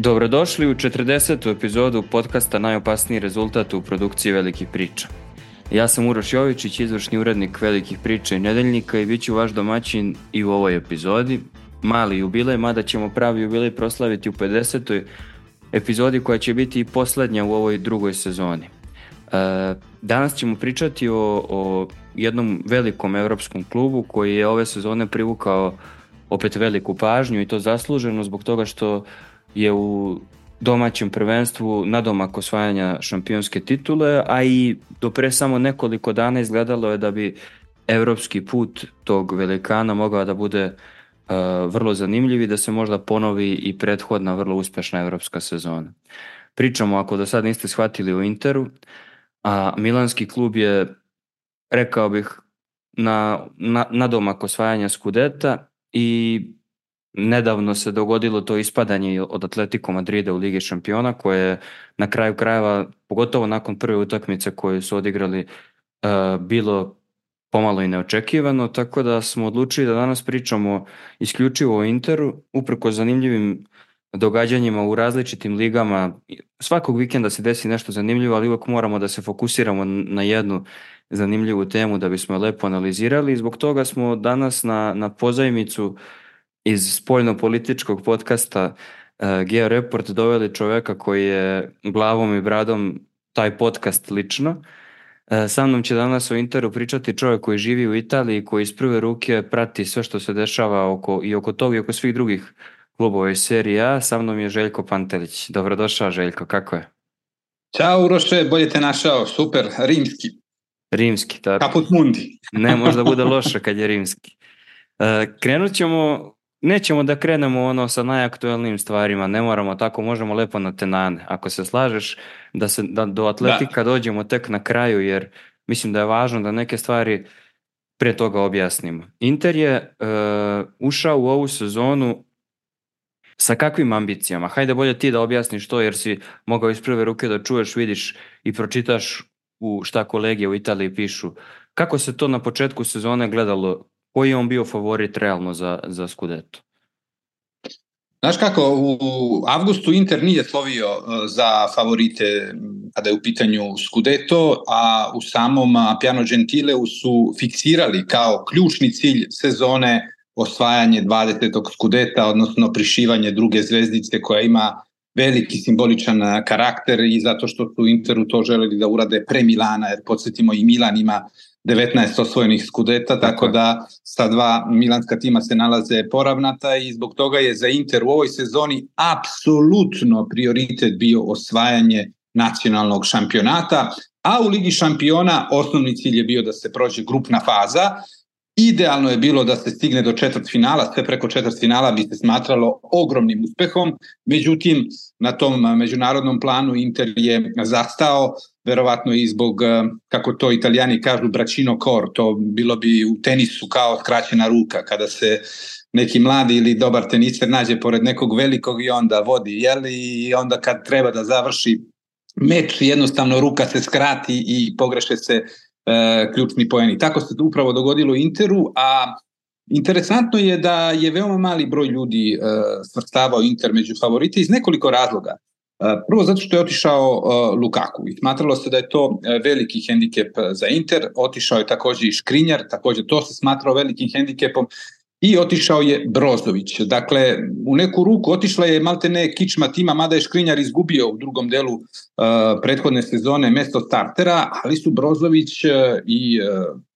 Dobrodošli u 40. epizodu podcasta Najopasniji rezultat u produkciji Velikih priča. Ja sam Uroš Jovičić, izvršni urednik Velikih priča i Nedeljnika i bit ću vaš domaćin i u ovoj epizodi. Mali jubilej, mada ćemo pravi jubilej proslaviti u 50. epizodi koja će biti i posljednja u ovoj drugoj sezoni. Danas ćemo pričati o jednom velikom evropskom klubu koji je ove sezone privukao opet veliku pažnju i to zasluženo zbog toga što je u domaćem prvenstvu nadomak osvajanja šampionske titule, a i do pre samo nekoliko dana izgledalo je da bi evropski put tog velikana mogao da bude vrlo zanimljiv i da se možda ponovi i prethodna vrlo uspešna evropska sezona. Pričamo, ako do sad niste shvatili, o Interu, a milanski klub je, rekao bih, nadomak osvajanja Skudeta i nedavno se dogodilo to ispadanje od Atletico Madrida u Ligi šampiona, koje je na kraju krajeva, pogotovo nakon prve utakmice koju su odigrali, bilo pomalo i neočekivano, tako da smo odlučili da danas pričamo isključivo o Interu, uprkos zanimljivim događanjima u različitim ligama. Svakog vikenda se desi nešto zanimljivo, ali uvijek moramo da se fokusiramo na jednu zanimljivu temu da bismo je lepo analizirali i zbog toga smo danas na pozajmicu iz spoljno-političkog podcasta Geo Report doveli čoveka koji je glavom i bradom taj podcast lično. Sa mnom će danas o Interu pričati čovjek koji živi u Italiji, koji iz prve ruke prati sve što se dešava oko toga i oko svih drugih klubova iz Serije A. Sa mnom je Željko Pantelić. Dobrodošao, Željko, kako je? Ćao Uroše, bolje te našao, super, rimski. Rimski, tako. Caput mundi. Ne, možda bude loše kad je rimski. Krenut ćemo, nećemo da krenemo sa najaktualnijim stvarima, ne moramo tako, možemo lepo na tenane. Ako se slažeš da do Atletika dođemo tek na kraju, jer mislim da je važno da neke stvari prije toga objasnimo. Inter je ušao u ovu sezonu sa kakvim ambicijama? Hajde bolje ti da objasniš to, jer si mogao iz prve ruke da čuješ, vidiš i pročitaš šta kolege u Italiji pišu. Kako se to na početku sezone gledalo? Koji je on bio favorit realno za Scudetto? Znaš kako, u avgustu Inter nije slovio za favorite kada je u pitanju Scudetto, a u samom Piano Gentileu su fiksirali kao ključni cilj sezone osvajanje 20. Scudetta, odnosno prišivanje druge zvezdice koja ima veliki simboličan karakter i zato što su Interu to želeli da urade pre Milana, jer podsjetimo i Milan ima 19 osvojenih Scudetta, tako da sa dva milanska tima se nalaze poravnata i zbog toga je za Inter u ovoj sezoni apsolutno prioritet bio osvajanje nacionalnog šampionata, a u Ligi šampiona osnovni cilj je bio da se prođe grupna faza. Idealno je bilo da se stigne do četvrtfinala, sve preko četvrtfinala bi se smatralo ogromnim uspehom, međutim na tom međunarodnom planu Inter je zastao, verovatno i zbog, kako to Italijani kažu, braccino cor, to bilo bi u tenisu kao skraćena ruka, kada se neki mladi ili dobar teniser nađe pored nekog velikog i onda vodi, i onda kad treba da završi meč, jednostavno ruka se skrati i pogreše se ključni poeni. Tako se to upravo dogodilo Interu, a interesantno je da je veoma mali broj ljudi svrstavao Inter među favorite iz nekoliko razloga. Prvo zato što je otišao Lukaku i smatralo se da je to veliki hendikep za Inter, otišao je također i Škrinjar, također to se smatrao velikim hendikepom, i otišao je Brozović. Dakle, u neku ruku otišla je maltene kičma tima, mada je Škrinjar izgubio u drugom delu prethodne sezone mesto startera, ali su Brozović i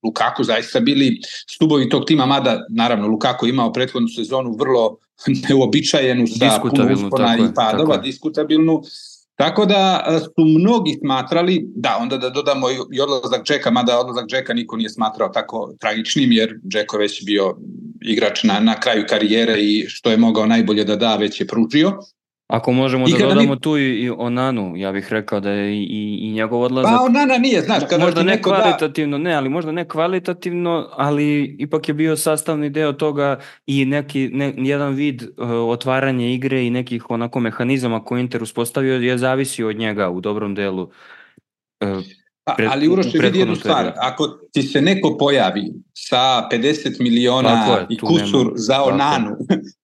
Lukaku zaista bili stubovi tog tima, mada naravno Lukaku imao prethodnu sezonu vrlo neuobičajenu sa puno uspona i padova, diskutabilnu. Tako da su mnogi smatrali, da, onda da dodamo i odlazak Džeka, mada odlazak Džeka niko nije smatrao tako tragičnim, jer Džeko već bio igrač na kraju karijere i što je mogao najbolje da da, već je pružio. Ako možemo da dodamo tu i Onanu, ja bih rekao da je i njegov odlazak... Pa Onana nije, znaš, kada možda ne kvalitativno, ali možda ne kvalitativno, ali ipak je bio sastavni deo toga i jedan vid otvaranja igre i nekih onako mehanizama koje Inter uspostavio je zavisio od njega u dobrom delu. Ali Uroše, vidi jednu stvar, periodu. ako ti se neko pojavi sa 50 miliona i kusur za Onanu,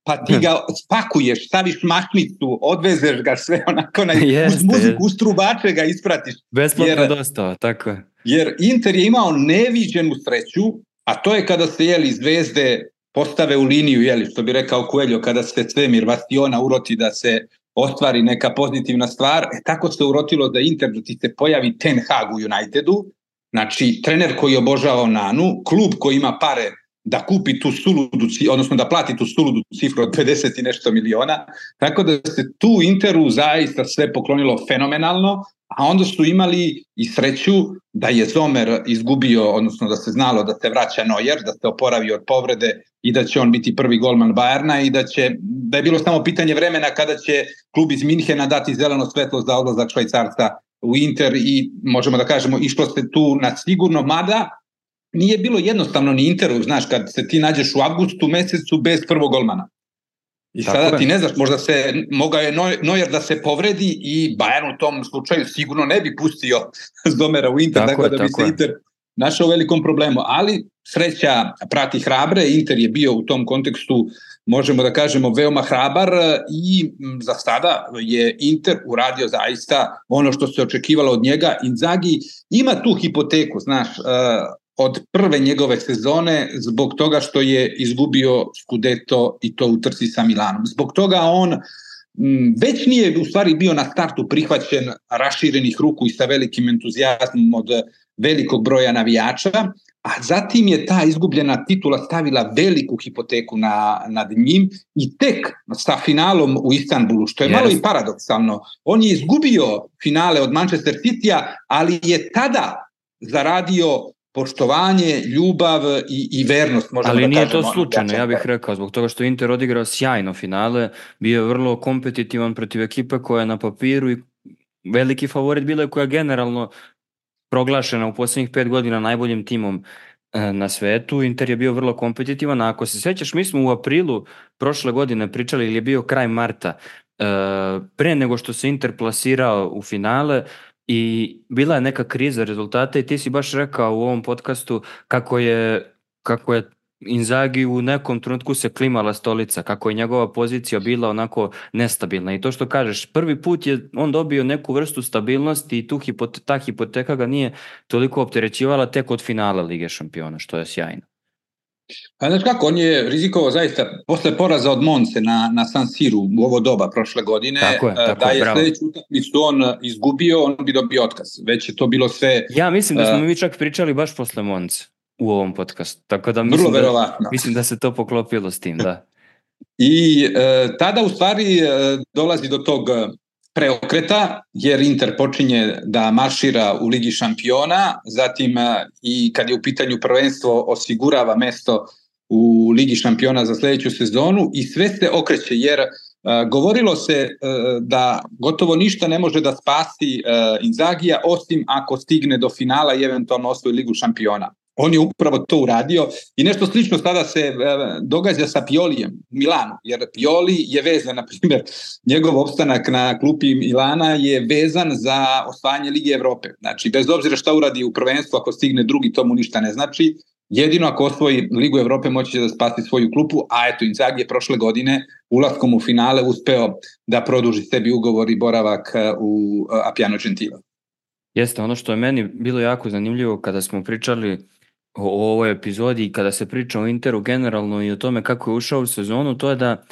pa ti ga spakuješ, staviš mašnicu, odvezeš ga sve onako, uz muziku, uz trubače ga ispratiš. Besplatno dostava, tako je. Jer Inter je imao neviđenu sreću, a to je kada se zvezde postave u liniju, što bi rekao Coelho, kada se svemir Bastiona uroti da se ostvari neka pozitivna stvar, tako se urotilo da Inter, da ti se pojavi Ten Hag u Unitedu, znači trener koji obožava Onanu, klub koji ima pare da kupi tu suludu, odnosno da plati tu suludu cifru od 50 i nešto miliona, tako da se tu Interu zaista sve poklonilo fenomenalno, a onda su imali i sreću da je Zomer izgubio, odnosno da se znalo da se vraća Neuer, da se oporavi od povrede i da će on biti prvi golman Bayerna i da je bilo samo pitanje vremena kada će klub iz Minhena dati zeleno svetlo za odlazak Švajcarca u Inter i možemo da kažemo išlo se tu na sigurno, mada nije bilo jednostavno ni Interu, znaš, kad se ti nađeš u avgustu mesecu bez prvog golmana. I sada ti ne znaš, možda mogao je Neuer da se povredi i Bayern u tom slučaju sigurno ne bi pustio Zomera u Inter, tako da bi se Inter našao u velikom problemu. Ali sreća prati hrabre, Inter je bio u tom kontekstu, možemo da kažemo, veoma hrabar i za sada je Inter uradio zaista ono što se očekivalo od njega. Inzaghi ima tu hipoteku, znaš, od prve njegove sezone zbog toga što je izgubio Scudetto i to u trci sa Milanom. Zbog toga on već nije u stvari bio na startu prihvaćen raširenih ruku i sa velikim entuzijazmom od velikog broja navijača, a zatim je ta izgubljena titula stavila veliku hipoteku nad njim i tek sa finalom u Istanbulu, što je malo i paradoksalno. On je izgubio finale od Manchester Citya, ali je tada zaradio poštovanje, ljubav i vernost. Ali nije to slučajno, ja bih rekao, zbog toga što Inter odigrao sjajno finale, bio je vrlo kompetitivan protiv ekipe koja je na papiru i veliki favorit bila je koja je generalno proglašena u posljednjih 5 godina najboljim timom na svetu. Inter je bio vrlo kompetitivan, a ako se sjećaš, mi smo u aprilu prošle godine pričali, ili je bio kraj marta, pre nego što se Inter plasirao u finale, i bila je neka kriza rezultata i ti si baš rekao u ovom podcastu kako je Inzaghi u nekom trenutku se klimala stolica, kako je njegova pozicija bila onako nestabilna. I to što kažeš, prvi put je on dobio neku vrstu stabilnosti i ta hipoteka ga nije toliko opterećivala tek od finala Lige šampiona, što je sjajno. A znaš kako, on je rizikovao zaista posle poraza od Monce na San Siru u ovo doba prošle godine, da je sljedeću utakmicu on izgubio, on bi dobio otkaz. Već je to bilo sve... Ja mislim da smo mi čak pričali baš posle Monce u ovom podcastu, tako da mislim da se to poklopilo s tim, da. I tada u stvari dolazi do tog preokreta, jer Inter počinje da maršira u Ligi šampiona, zatim i kad je u pitanju prvenstvo osigurava mesto u Ligi šampiona za sljedeću sezonu i sve se okreće, jer govorilo se da gotovo ništa ne može da spasi Inzaghija osim ako stigne do finala i eventualno osvoji Ligu šampiona. On je upravo to uradio i nešto slično sada se događa sa Piolijem u Milanu, jer Pioli je vezan, na primjer, njegov opstanak na klupi Milana je vezan za osvajanje Lige Evrope. Znači, bez obzira šta uradi u prvenstvu, ako stigne drugi, to mu ništa ne znači. Jedino ako osvoji Ligu Evrope moći će da spasi svoju klupu, a eto, Inzaghi je prošle godine ulaskom u finale uspeo da produži sebi ugovor i boravak u Appiano Gentile. Jeste, ono što je meni bilo jako zanimljivo kada smo pričali o ovoj epizodi i kada se priča o Interu generalno i o tome kako je ušao u sezonu, to je da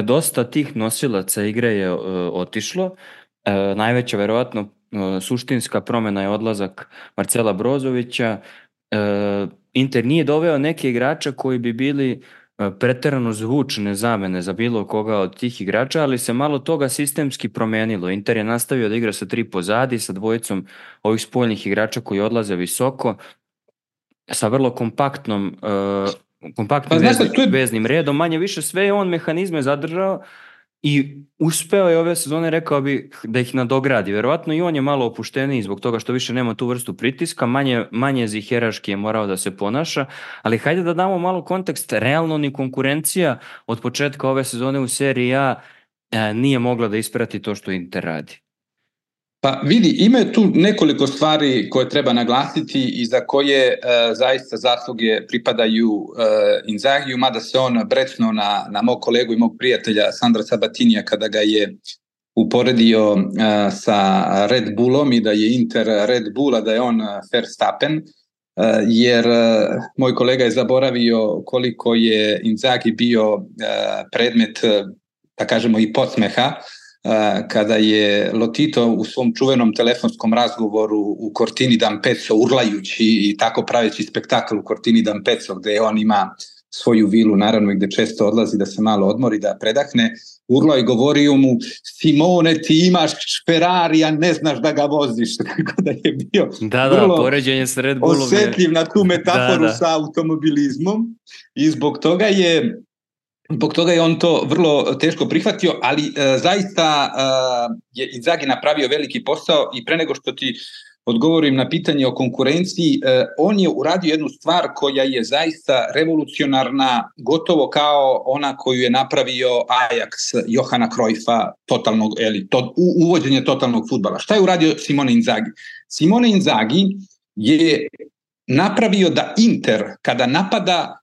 dosta tih nosilaca igre je otišlo. Najveća verovatno suštinska promjena je odlazak Marcela Brozovića. Inter nije doveo neke igrače koji bi bili preterano zvučne zamene za bilo koga od tih igrača, ali se malo toga sistemski promenilo. Inter je nastavio da igra sa 3 pozadi, sa dvojicom ovih spoljnih igrača koji odlaze visoko, sa vrlo kompaktnim veznim redom, manje više sve je on mehanizme zadržao i uspeo je ove sezone, rekao bi, da ih nadogradi. Verovatno i on je malo opušteniji zbog toga što više nema tu vrstu pritiska, manje ziheraški je morao da se ponaša, ali hajde da damo malo kontekst. Realno ni konkurencija od početka ove sezone u seriji A nije mogla da isprati to što Inter radi. Pa vidi, ima tu nekoliko stvari koje treba naglasiti i za koje zaista zasluge pripadaju Inzagiju, mada se on brecnuo na mog kolegu i mog prijatelja Sandra Sabatinija kada ga je uporedio sa Red Bullom i da je Inter Red Bull, a da je on Verstappen, jer moj kolega je zaboravio koliko je Inzaghi bio predmet, da kažemo, i podsmeha kada je Lotito u svom čuvenom telefonskom razgovoru u Cortini d'Ampezzo, urlajući i tako praveći spektakl u Cortini d'Ampezzo, gde on ima svoju vilu, naravno, gde često odlazi da se malo odmori, da predahne, urlao i govorio mu: Simone, ti imaš Ferrari, a ne znaš da ga voziš. Tako da je bio vrlo poređenje s Red Bullom osetljiv na tu metaforu sa automobilizmom i zbog toga je on to vrlo teško prihvatio, ali zaista je Inzaghi napravio veliki posao i pre nego što ti odgovorim na pitanje o konkurenciji, on je uradio jednu stvar koja je zaista revolucionarna, gotovo kao ona koju je napravio Ajax Johana Cruyffa, uvođenje totalnog fudbala. Šta je uradio Simone Inzaghi? Simone Inzaghi je napravio da Inter, kada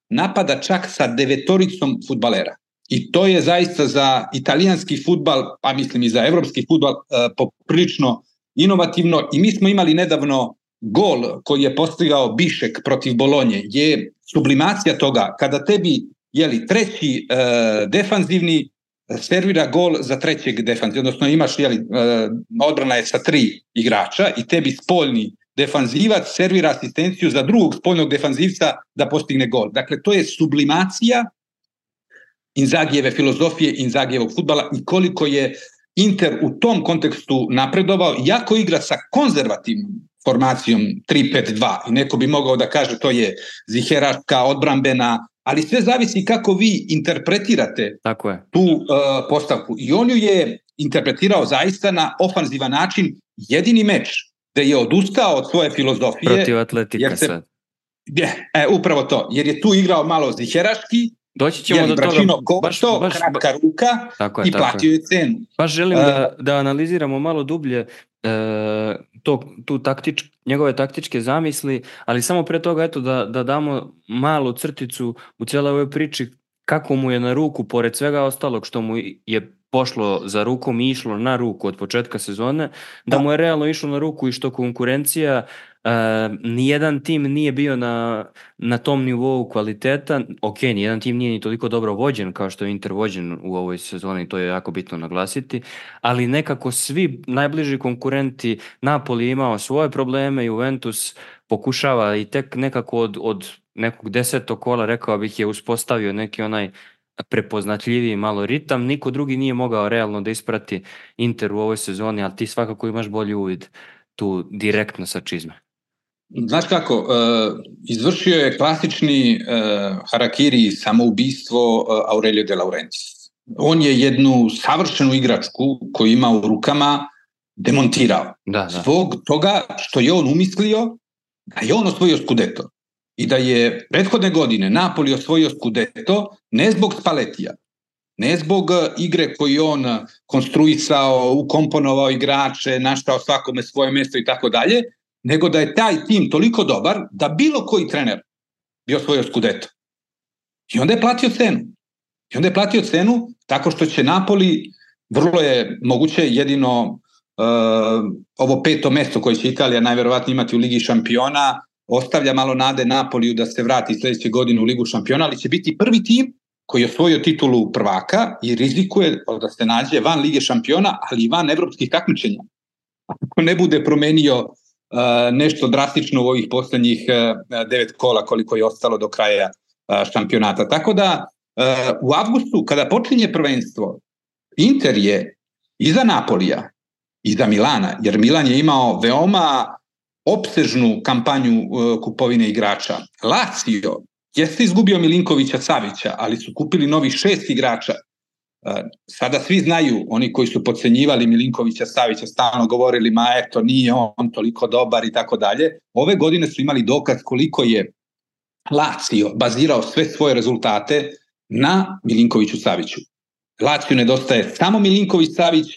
napada čak sa 9 fudbalera. I to je zaista za italijanski fudbal, a mislim i za evropski fudbal, poprilično inovativno. I mi smo imali nedavno gol koji je postigao Bišek protiv Bolonje. Je sublimacija toga kada tebi treći defanzivni servira gol za trećeg defanzivnog, odnosno imaš, odbrana je sa 3 igrača i tebi spoljni defanzivac servira asistenciju za drugog spoljnog defanzivca da postigne gol. Dakle, to je sublimacija Inzagijeve filozofije, Inzagijevog fudbala i koliko je Inter u tom kontekstu napredovao, iako igra sa konzervativnom formacijom 3-5-2 i neko bi mogao da kaže to je ziheraška, odbrambena, ali sve zavisi kako vi interpretirate tu postavku. I on ju je interpretirao zaista na ofanzivan način. Jedini meč da je odustao od svoje filozofije protiv Atletika sad. Upravo to, jer je tu igrao malo ziheraški, doći ćemo do toga, kratka ruka i platio je cenu. Baš želim da analiziramo malo dublje njegove taktičke zamisli, ali samo pre toga da damo malu crticu u cijeloj ovoj priči kako mu je na ruku, pored svega ostalog što mu je pošlo za rukom i išlo na ruku od početka sezone, da mu je realno išlo na ruku i što konkurencija, nijedan tim nije bio na tom nivou kvaliteta. Ok, nijedan tim nije ni toliko dobro vođen kao što je Inter vođen u ovoj sezoni, to je jako bitno naglasiti, ali nekako svi najbliži konkurenti, Napoli imao svoje probleme, Juventus pokušava i tek nekako od nekog 10. kola, rekao bih, je uspostavio neki onaj prepoznatljiviji malo ritam. Niko drugi nije mogao realno da isprati Inter u ovoj sezoni, ali ti svakako imaš bolji uvid tu direktno sa čizme. Znaš kako, izvršio je klasični harakiri, samoubistvo Aurelio De Laurentiis. On je jednu savršenu igračku koju ima u rukama demontirao. Zbog toga što je on umislio da je on osvojio Scudetto. I da je prethodne godine Napoli osvojio Scudetto ne zbog Spallettija, ne zbog igre koju on konstruisao, ukomponovao igrače, naštao svakome svoje mjesto i tako dalje, nego da je taj tim toliko dobar da bilo koji trener bi osvojio Scudetto. I onda je platio cenu. Tako što će Napoli, vrlo je moguće, jedino ovo 5. mjesto koje će Italija najverovatnije imati u Ligi šampiona, ostavlja malo nade Napoliju da se vrati sljedeće godine u Ligu šampiona, ali će biti prvi tim koji je osvojio titulu prvaka i rizikuje da se nađe van Lige šampiona, ali i van evropskih takmičenja. Ako ne bude promenio nešto drastično u ovih posljednjih 9 kola koliko je ostalo do kraja šampionata. Tako da u avgustu, kada počinje prvenstvo, Inter je iza Napolija, iza Milana, jer Milan je imao veoma opsežnu kampanju kupovine igrača. Lazio jeste izgubio Milinkovića Savića, ali su kupili novih 6 igrača. Sada svi znaju, oni koji su podcenjivali Milinkovića Savića, stalno govorili, ma eto, nije on toliko dobar i tako dalje. Ove godine su imali dokaz koliko je Lazio bazirao sve svoje rezultate na Milinkoviću Saviću. Lazio nedostaje samo Milinković Savić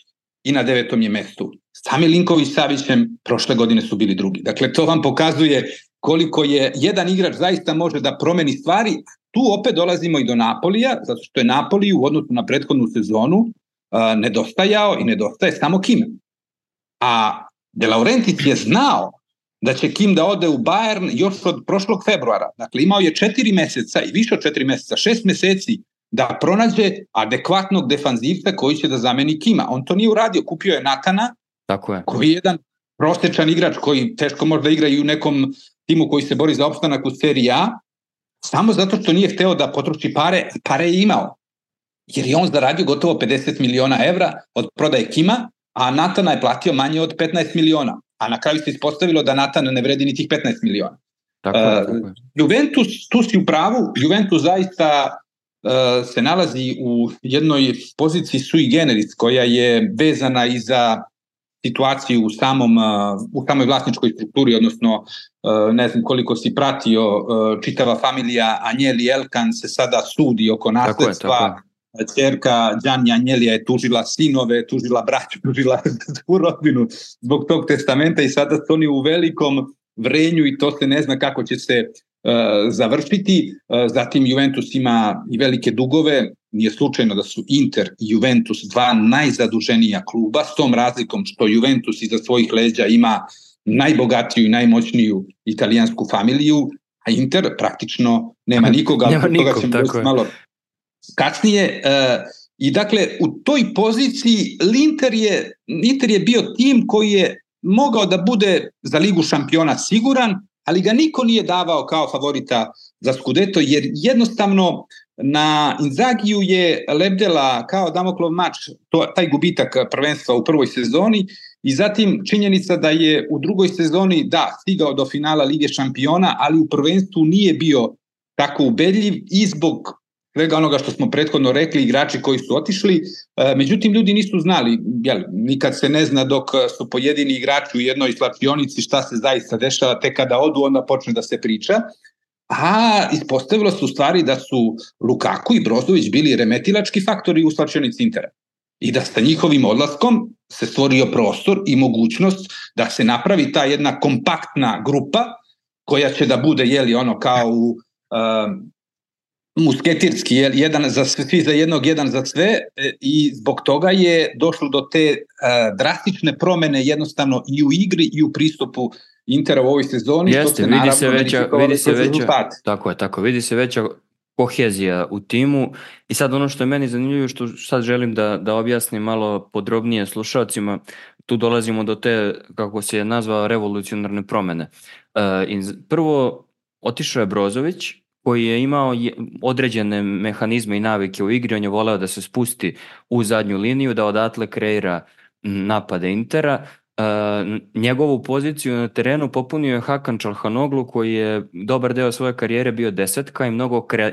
i na 9. je mjestu. sa Milinković Savićem prošle godine su bili drugi. Dakle, to vam pokazuje koliko je jedan igrač zaista može da promeni stvari. Tu opet dolazimo i do Napolija, zato što je Napoli u odnosu na prethodnu sezonu nedostajao i nedostaje samo Kim. A De Laurentiis je znao da će Kim da ode u Bayern još od prošlog februara. Dakle, imao je 4 meseca i više od 4 meseca, 6 meseci da pronađe adekvatnog defanzivca koji će da zameni Kima. On to nije uradio, kupio je Natana, tako je, koji je jedan prosječan igrač koji teško može da igra i u nekom timu koji se bori za opstanak u seriji A, samo zato što nije hteo da potroši pare je imao. Jer je on zaradio gotovo 50 miliona evra od prodaje Kima, a Natana je platio manje od 15 miliona. A na kraju se ispostavilo da Natan ne vredi ni tih 15 miliona. Tako je. Juventus, tu si u pravu, Juventus zaista se nalazi u jednoj poziciji sui generis koja je vezana i za situaciju u samoj vlasničkoj strukturi, odnosno ne znam koliko si pratio, čitava familija Agnelli Elkan se sada sudi oko nasledstva. Ćerka Gianni Agnellija je tužila sinove, tužila braću, tužila u rodbinu zbog tog testamenta i sada su oni u velikom vrenju i to se ne zna kako će se završiti. Zatim Juventus ima i velike dugove, nije slučajno da su Inter i Juventus dva najzaduženija kluba, s tom razlikom što Juventus iza svojih leđa ima najbogatiju i najmoćniju italijansku familiju, a Inter praktično nema nikoga, toga ćemo doći malo kasnije. I dakle, u toj poziciji Inter je bio tim koji je mogao da bude za Ligu šampiona siguran, ali ga niko nije davao kao favorita za Scudetto, jer jednostavno na Inzagiju je lebdela kao Damoklov mač taj gubitak prvenstva u prvoj sezoni i zatim činjenica da je u drugoj sezoni stigao do finala Lige šampiona, ali u prvenstvu nije bio tako ubedljiv i zbog svega onoga što smo prethodno rekli, igrači koji su otišli. Međutim, ljudi nisu znali, nikad se ne zna dok su pojedini igrači u jednoj slačionici šta se zaista dešava, tek kada odu onda počne da se priča. A ispostavilo se u stvari da su Lukaku i Brozović bili remetilački faktori u slačionici Intera. I da sa njihovim odlaskom se stvorio prostor i mogućnost da se napravi ta jedna kompaktna grupa koja će da bude kao u musketirski, jedan za svi za jednog, jedan za sve, i zbog toga je došlo do te drastične promene jednostavno i u igri i u pristupu Intera u ovoj sezoni. Jeste, vidi se veća kohezija u timu. I sad ono što je meni zanimljivo, što sad želim da objasnim malo podrobnije slušalcima, tu dolazimo do te, kako se je nazvao, revolucionarne promene. Prvo, otišao je Brozović, koji je imao određene mehanizme i navike u igri, on je voleo da se spusti u zadnju liniju, da odatle kreira napade Intera. Njegovu poziciju na terenu popunio je Hakan Çalhanoğlu, koji je dobar deo svoje karijere bio desetka i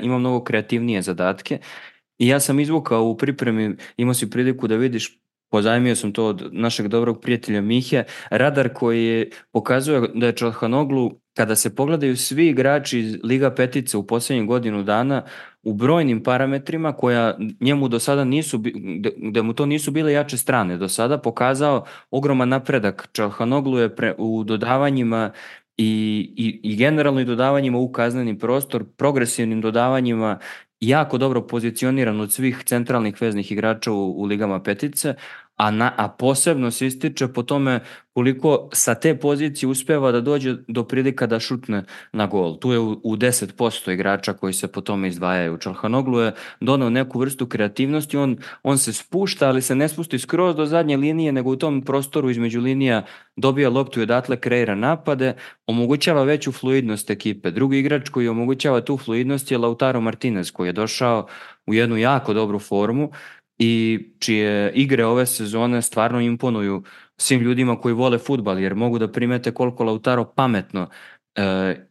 ima mnogo kreativnije zadatke. I ja sam izvukao u pripremi, imao si priliku da vidiš, pozajmio sam to od našeg dobrog prijatelja Mihe, radar koji pokazuje da je Çalhanoğlu, kada se pogledaju svi igrači iz Liga Petice u posljednjih godinu dana, u brojnim parametrima koja njemu do sada da mu to nisu bile jače strane, do sada pokazao ogroman napredak. Çalhanoğlu je u dodavanjima i generalno i dodavanjima u kazneni prostor, progresivnim dodavanjima jako dobro pozicioniran od svih centralnih veznih igrača u Ligama Petice, a posebno se ističe po tome koliko sa te pozicije uspeva da dođe do prilika da šutne na gol. Tu je u 10% igrača koji se po tome izdvajaju. Çalhanoğlu je donao neku vrstu kreativnosti, on se spušta, ali se ne spusti skroz do zadnje linije, nego u tom prostoru između linija dobija loptu i odatle kreira napade, omogućava veću fluidnost ekipe. Drugi igrač koji omogućava tu fluidnost je Lautaro Martinez, koji je došao u jednu jako dobru formu i čije igre ove sezone stvarno imponuju svim ljudima koji vole fudbal, jer mogu da primete koliko Lautaro pametno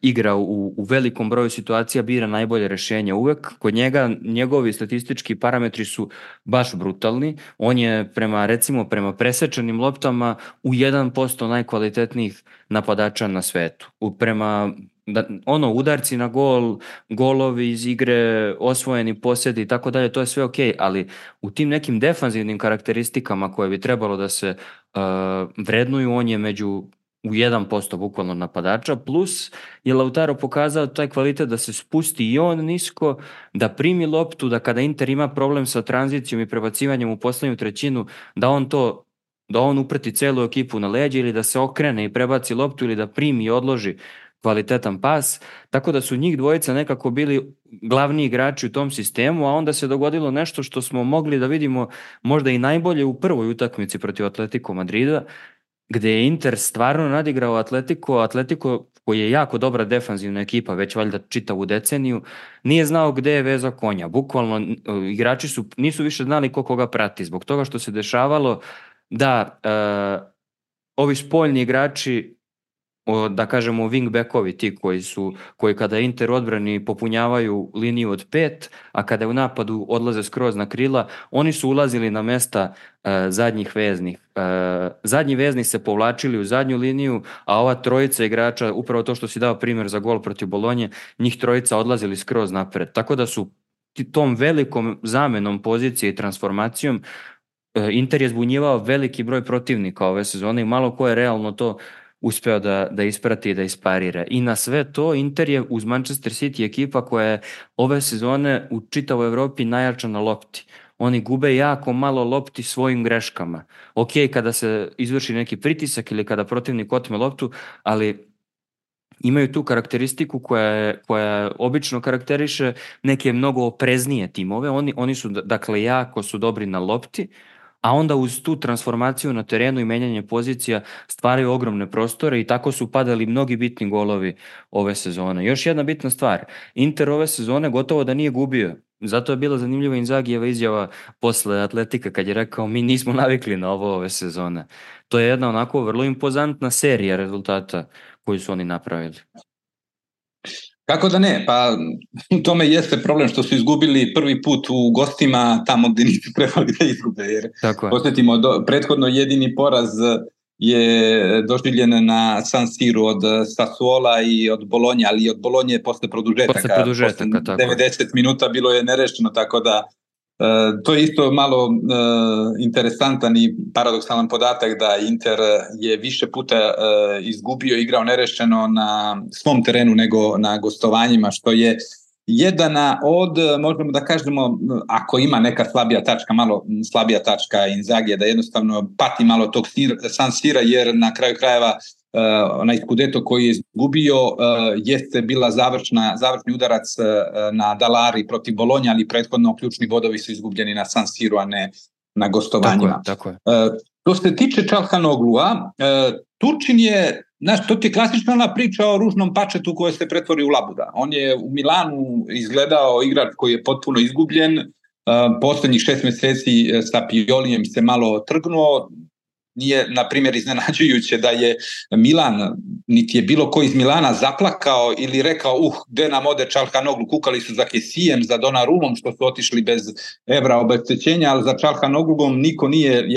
igra u velikom broju situacija, bira najbolje rješenje uvek. Kod njega, njegovi statistički parametri su baš brutalni. On je prema presečanim loptama u 1% najkvalitetnijih napadača na svetu. Prema udarci na gol, golovi iz igre, osvojeni posjedi i tako dalje, to je sve ok, ali u tim nekim defanzivnim karakteristikama koje bi trebalo da se vrednuju, on je u 1% bukvalno napadača, plus je Lautaro pokazao taj kvalitet da se spusti i on nisko, da primi loptu, da kada Inter ima problem sa tranzicijom i prebacivanjem u posljednju trećinu, da on uprti celu ekipu na leđe ili da se okrene i prebaci loptu ili da primi i odloži kvalitetan pas, tako da su njih dvojica nekako bili glavni igrači u tom sistemu, a onda se dogodilo nešto što smo mogli da vidimo možda i najbolje u prvoj utakmici protiv Atletico Madrida, gdje je Inter stvarno nadigrao Atletico koji je jako dobra defanzivna ekipa, već valjda čitavu deceniju, nije znao gdje je veza konja. Bukvalno igrači nisu više znali ko koga prati, zbog toga što se dešavalo da ovi spoljni igrači, da kažemo wingbackovi, ti koji kada Inter odbrani popunjavaju liniju od 5, a kada u napadu odlaze skroz na krila, oni su ulazili na mesta zadnjih veznih. Zadnji vezni se povlačili u zadnju liniju, a ova trojica igrača, upravo to što si dao primjer za gol protiv Bolonje, njih trojica odlazili skroz napred. Tako da su tom velikom zamenom pozicije i transformacijom Inter je zbunjivao veliki broj protivnika ove sezone i malo ko je realno to uspeo da isprati i da isparira. I na sve to Inter je uz Manchester City ekipa koja je ove sezone u čitavoj Evropi najjača na lopti. Oni gube jako malo lopti svojim greškama. Ok, kada se izvrši neki pritisak ili kada protivnik otme loptu, ali imaju tu karakteristiku koja obično karakteriše neke mnogo opreznije timove. Oni su, dakle, jako su dobri na lopti, a onda uz tu transformaciju na terenu i menjanje pozicija stvaraju ogromne prostore i tako su padali mnogi bitni golovi ove sezone. Još jedna bitna stvar, Inter ove sezone gotovo da nije gubio. Zato je bila zanimljiva Inzagijeva izjava posle Atletika kad je rekao mi nismo navikli na ovo ove sezone. To je jedna onako vrlo impozantna serija rezultata koju su oni napravili. Kako da ne, pa u tome jeste problem što su izgubili prvi put u gostima tamo gdje nisu trebali da izgube, jer posjetimo, prethodno jedini poraz je doživljen na San Siru od Sassuola i od Bolonje, ali i od Bolonje posle produžetaka. Posle 90 minuta bilo je nerešeno, tako da to je isto malo interesantan i paradoksalan podatak da Inter je više puta izgubio, igrao nerešeno na svom terenu nego na gostovanjima, što je jedana od, možemo da kažemo, ako ima neka slabija tačka, malo slabija tačka Inzagija, da jednostavno pati malo tog San Sira, jer na kraju krajeva onaj Scudetto koji je izgubio jeste bila završni udarac na Dalari protiv Bolonja, ali prethodno ključni bodovi su izgubljeni na San Siru, a ne na gostovanjima. Tako je. Što se tiče Çalhanoğlu'a, Turčin je, to ti je klasična ona priča o ružnom pačetu koje se pretvori u labuda. On je u Milanu izgledao igrač koji je potpuno izgubljen, posljednjih 6 mjeseci sa Piolijem se malo trgnuo. Nije, na primjer, iznenađujuće da je Milan, niti je bilo ko iz Milana zaplakao ili rekao gde nam ode Çalhanoğlu, kukali su za Kessijem, za Donnarummom što su otišli bez evra obeštećenja, ali za Çalhanoğlom niko nije,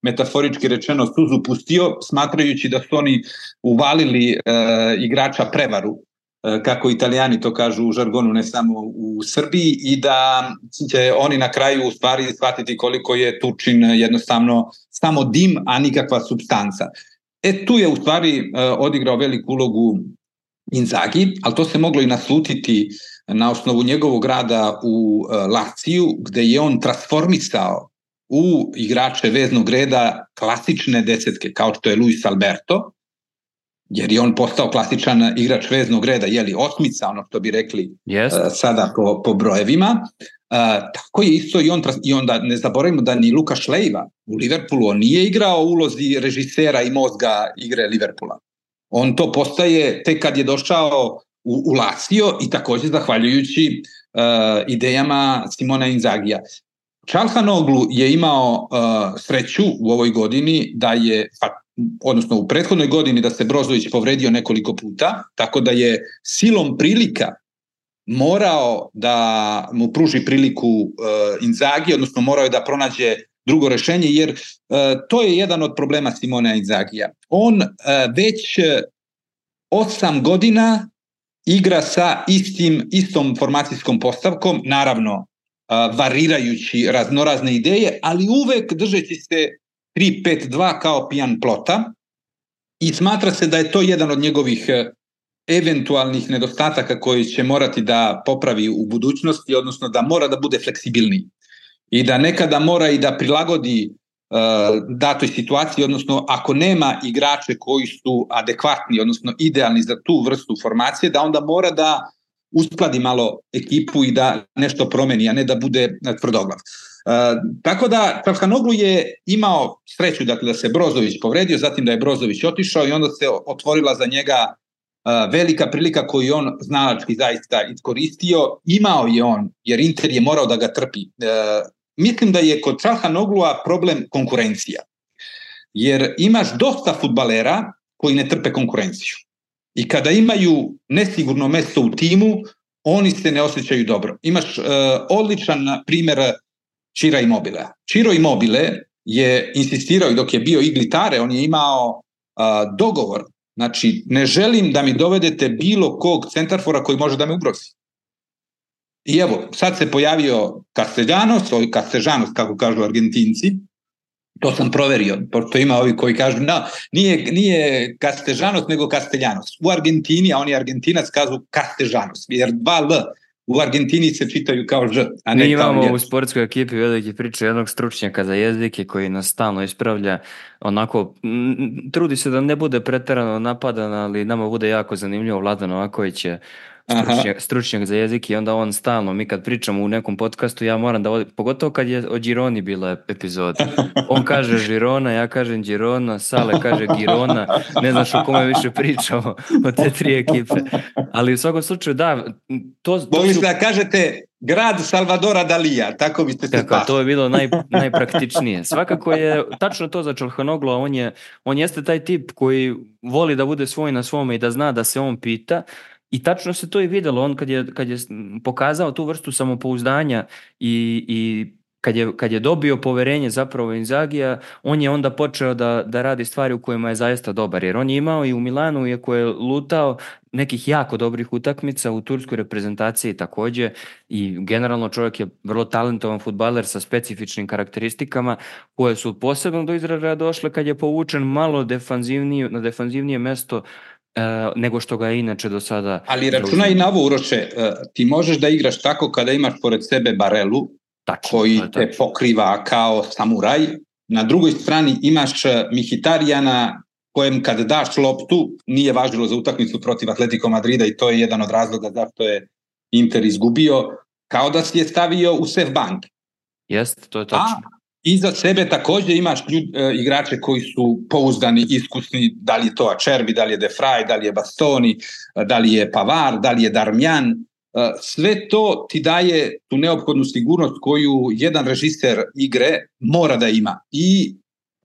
metaforički rečeno, suzu pustio, smatrajući da su oni uvalili igrača prevaru, kako Italijani to kažu u žargonu, ne samo u Srbiji, i da će oni na kraju u stvari shvatiti koliko je Turčin jednostavno samo dim, a nikakva supstanca. Tu je u stvari odigrao veliku ulogu Inzaghi, ali to se moglo i naslutiti na osnovu njegovog rada u Laziju, gde je on transformisao u igrače veznog reda klasične desetke, kao što je Luis Alberto, jer je on postao klasičan igrač veznog reda, osmica, ono što bi rekli sada po brojevima. Tako je isto i onda ne zaboravimo da ni Lukaš Leiva u Liverpoolu, on nije igrao u ulozi režisera i mozga igre Liverpoola. On to postaje tek kad je došao u Lazio i također zahvaljujući idejama Simona Inzagija. Çalhanoğlu je imao sreću u ovoj godini da je, odnosno u prethodnoj godini, da se Brozović povredio nekoliko puta, tako da je silom prilika morao da mu pruži priliku Inzaghi, odnosno morao je da pronađe drugo rešenje, jer to je jedan od problema Simona Inzagija. On već 8 godina igra sa istom formacijskom postavkom, naravno varirajući raznorazne ideje, ali uvek držeći se 3-5-2 kao pijan plota, i smatra se da je to jedan od njegovih eventualnih nedostataka koji će morati da popravi u budućnosti, odnosno da mora da bude fleksibilniji i da nekada mora i da prilagodi datoj situaciji, odnosno ako nema igrače koji su adekvatni, odnosno idealni za tu vrstu formacije, da onda mora da uskladi malo ekipu i da nešto promeni, a ne da bude tvrdoglav. Tako da Çalhanoğlu je imao sreću, dakle, da se Brozović povredio, zatim da je Brozović otišao i onda se otvorila za njega velika prilika koju on znalački zaista iskoristio. Imao je on, jer Inter je morao da ga trpi. Mislim da je kod Çalhanoğlua problem konkurencija, jer imaš dosta fudbalera koji ne trpe konkurenciju. I kada imaju nesigurno mesto u timu, oni se ne osjećaju dobro. Imaš odličan primjer Ciro Immobilea. Ciro Immobile je insistirao i dok je bio iglitare, on je imao dogovor. Znači, ne želim da mi dovedete bilo kog centarfora koji može da me ugrozi. I evo, sad se pojavio Castellanos, kako kažu Argentinci. To sam proverio, pošto ima ovi koji kažu nije Castellanos nego Castellanos. U Argentini, a on je Argentinac, kažu Castellanos, jer 2 L u Argentini se čitaju kao Ž, a ne Mi kao imamo J. u sportskoj ekipi velike priče jednog stručnjaka za jezike koji nas stalno ispravlja, onako trudi se da ne bude preterano napadan, ali nama bude jako zanimljivo. Vladan Novaković je stručnjak za jezik i onda on stalno, mi kad pričamo u nekom podcastu, ja moram da pogotovo kad je o Gironi bila epizoda, on kaže Žirona, ja kažem Girona, Sale kaže Girona, ne znaš o kome više pričamo od te 3 ekipe, ali u svakom slučaju da, Mogli ste da kažete grad Salvadora Dalija, tako biste se spasili. To je bilo najpraktičnije. Svakako je tačno to za Çalhanoğlu, on jeste taj tip koji voli da bude svoj na svome i da zna da se on pita. I tačno se to i vidjelo, on kad je pokazao tu vrstu samopouzdanja i kad je dobio poverenje zapravo Inzagija, on je onda počeo da radi stvari u kojima je zaista dobar, jer on je imao i u Milanu, iako je lutao, nekih jako dobrih utakmica, u turskoj reprezentaciji također, i generalno čovjek je vrlo talentovan fudbaler sa specifičnim karakteristikama koje su posebno do izražaja došle kad je povučen malo na defanzivnije mesto nego što ga je inače do sada. Ali računaj i na ovo, Uroše, ti možeš da igraš tako kada imaš pored sebe Barelu, koji te pokriva kao samuraj. Na drugoj strani imaš Mihitarijana kojem kad daš loptu nije važilo za utakmicu protiv Atletico Madrida i to je jedan od razloga zašto je Inter izgubio, kao da si je stavio u safe bank. Jeste, to je tačno. Iza sebe također imaš igrače koji su pouzdani, iskusni, da li je to Acerbi, da li je De Vrij, da li je Bastoni, da li je Pavard, da li je Darmian. Sve to ti daje tu neophodnu sigurnost koju jedan režiser igre mora da ima. I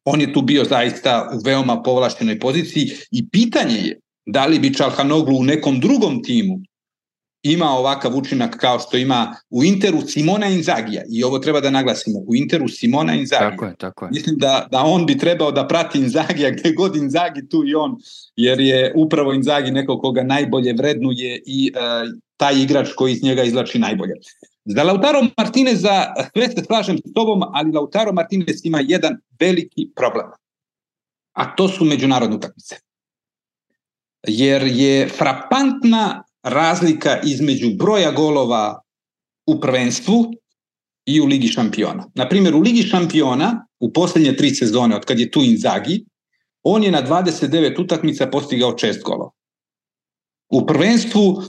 on je tu bio zaista u veoma povlaštenoj poziciji i pitanje je da li bi Çalhanoğlu u nekom drugom timu ima ovakav učinak kao što ima u Interu Simona Inzagija. I ovo treba da naglasimo, u Interu Simona Inzagija. Tako je. Mislim da on bi trebao da prati Inzagija gdje god Inzagi, tu i on, jer je upravo Inzagi neko koga najbolje vrednuje i taj igrač koji iz njega izvlači najbolje. Za Lautaro Martineza, sve se slažem s tobom, ali Lautaro Martinez ima jedan veliki problem. A to su međunarodne utakmice. Jer je frapantna razlika između broja golova u prvenstvu i u Ligi šampiona. Naprimjer, u Ligi šampiona u posljednje 3 sezone, od kad je tu Inzagi, on je na 29 utakmica postigao 6 golova. U prvenstvu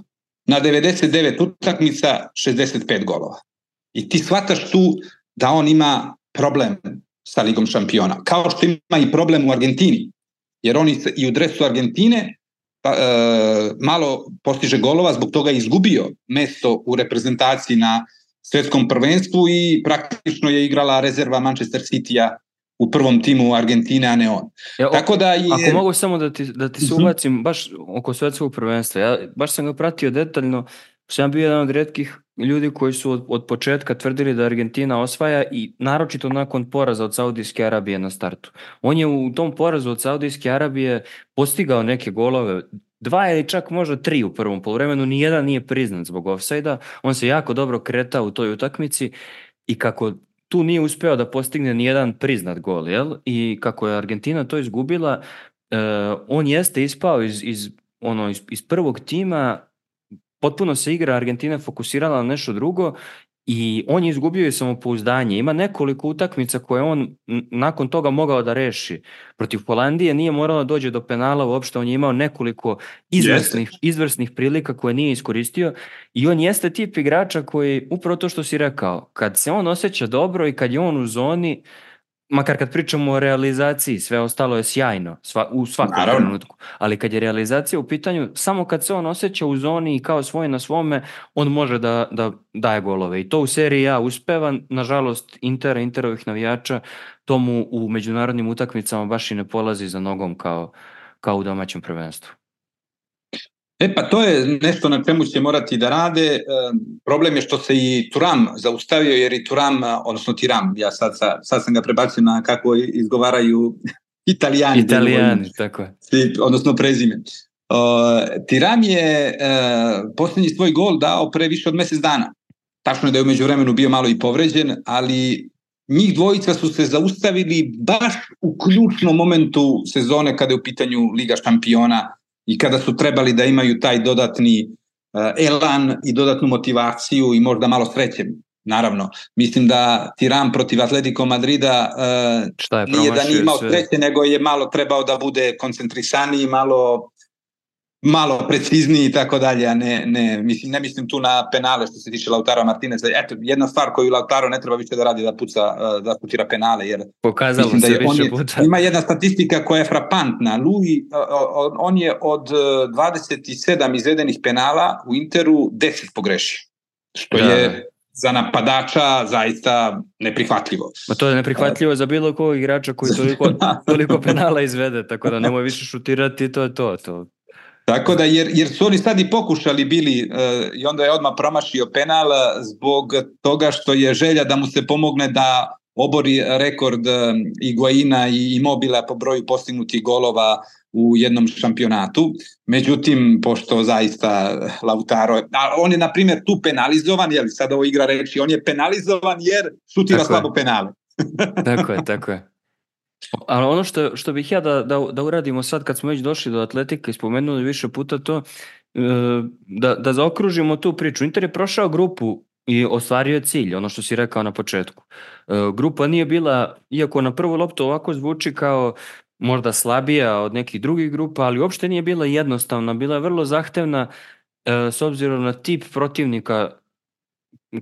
na 99 utakmica 65 golova. I ti shvataš tu da on ima problem sa Ligom šampiona. Kao što ima i problem u Argentini. Jer on i u dresu Argentine malo postiže golova, zbog toga je izgubio mesto u reprezentaciji na svjetskom prvenstvu i praktično je igrala rezerva Manchester City-a u prvom timu Argentine, a ne on. Tako da je... Ako mogu samo da ti se ubacim baš oko svjetskog prvenstva, ja baš sam ga pratio detaljno, sam bio jedan od rijetkih ljudi koji su od početka tvrdili da Argentina osvaja i naročito nakon poraza od Saudijske Arabije na startu. On je u tom porazu od Saudijske Arabije postigao neke golove, 2 ili čak možda 3 u prvom poluvremenu, nijedan nije priznat zbog ofsajda, on se jako dobro kretao u toj utakmici i kako tu nije uspeo da postigne nijedan priznat gol, jel? I kako je Argentina to izgubila, on jeste ispao iz prvog tima, potpuno se igra Argentina fokusirala na nešto drugo i on je izgubio i samopouzdanje. Ima nekoliko utakmica koje on nakon toga mogao da reši. Protiv Holandije nije moralo da dođe do penala uopšte, on je imao nekoliko izvrsnih prilika koje nije iskoristio i on jeste tip igrača koji, upravo to što si rekao, kad se on osjeća dobro i kad je on u zoni, makar kad pričamo o realizaciji, sve ostalo je sjajno u svakom trenutku, ali kad je realizacija u pitanju, samo kad se on osjeća u zoni i kao svoj na svome, on može da daje golove i to u seriji A uspeva. Nažalost Interovih navijača tomu u međunarodnim utakmicama baš i ne polazi za nogom kao u domaćem prvenstvu. Pa to je nešto na čemu će morati da rade. Problem je što se i Thuram zaustavio, jer i Thuram, odnosno Tiram, ja sad sam ga prebacio na kako izgovaraju Italijani, tako je. Odnosno prezime. Tiram je posljednji svoj gol dao pre više od mjesec dana. Tačno je da je u međuvremenu bio malo i povređen, ali njih dvojica su se zaustavili baš u ključnom momentu sezone kada je u pitanju Liga šampiona i kada su trebali da imaju taj dodatni elan i dodatnu motivaciju i možda malo sreće. Naravno, mislim da Tiram protiv Atletico Madrida nije da nije imao sreće, nego je malo trebao da bude koncentrisaniji, malo precizniji i tako dalje, a ne mislim tu na penale što se tiče Lautaro Martineza. Eto, jedna stvar koju Lautaro ne treba više da radi, da putira penale, jer pokazalo se više puta. Ima jedna statistika koja je frapantna. On je od 27 izvedenih penala u Interu 10 pogrešio, što je za napadača zaista neprihvatljivo. Ma to je neprihvatljivo za bilo kog igrača koji toliko penala izvede, tako da nemoj više šutirati, to je to. Tako da, jer su oni sad i pokušali bili i onda je odmah promašio penal zbog toga što je želja da mu se pomogne da obori rekord Higuaina i Immobila po broju postignutih golova u jednom šampionatu. Međutim, pošto zaista Lautaro, on je na primjer tu penalizovan, jer sad ovo igra reči, on je penalizovan jer šutira slabo penale. Tako je. Ali ono što bih ja da uradimo sad kad smo već došli do atletike i spomenuli više puta to, da zaokružimo tu priču. Inter je prošao grupu i ostvario je cilj, ono što si rekao na početku. Grupa nije bila, iako na prvu loptu ovako zvuči kao možda slabija od nekih drugih grupa, ali uopšte nije bila jednostavna, bila je vrlo zahtevna s obzirom na tip protivnika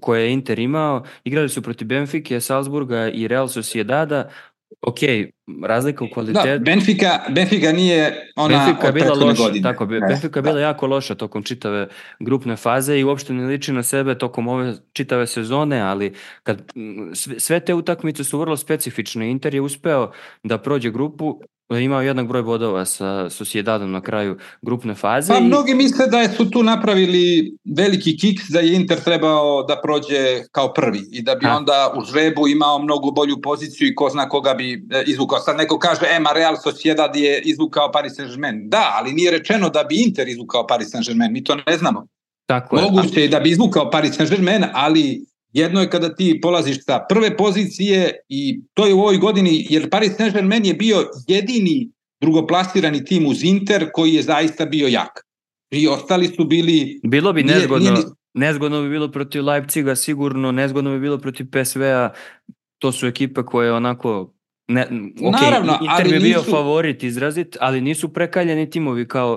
koje je Inter imao. Igrali su protiv Benfike, Salzburga i Real Sociedada. Ok, razlika u kvalitetu. Da, Benfica nije ona od prethodne godine. Tako, Benfica je bila jako loša tokom čitave grupne faze i uopšte ne liči na sebe tokom ove čitave sezone, ali sve te utakmice su vrlo specifične. Inter je uspeo da prođe grupu, imao jednak broj bodova sa Sociedadom na kraju grupne faze. Pa mnogi misle da su tu napravili veliki kiks, da je Inter trebao da prođe kao prvi i da bi onda u žrebu imao mnogo bolju poziciju i ko zna koga bi izvukao. Sad neko kaže, Real Sociedad je izvukao Paris Saint-Germain. Da, ali nije rečeno da bi Inter izvukao Paris Saint-Germain, mi to ne znamo. Moguće je da bi izvukao Paris Saint-Germain, ali jedno je kada ti polaziš sa prve pozicije i to je u ovoj godini, jer Paris Saint-Germain je bio jedini drugoplasirani tim uz Inter koji je zaista bio jak. I ostali su bili... Bilo bi nezgodno bi bilo protiv Leipziga, sigurno, nezgodno bi bilo protiv PSV-a, to su ekipe koje onako... Naravno, Inter bi bio favorit izrazit, ali nisu prekaljeni timovi kao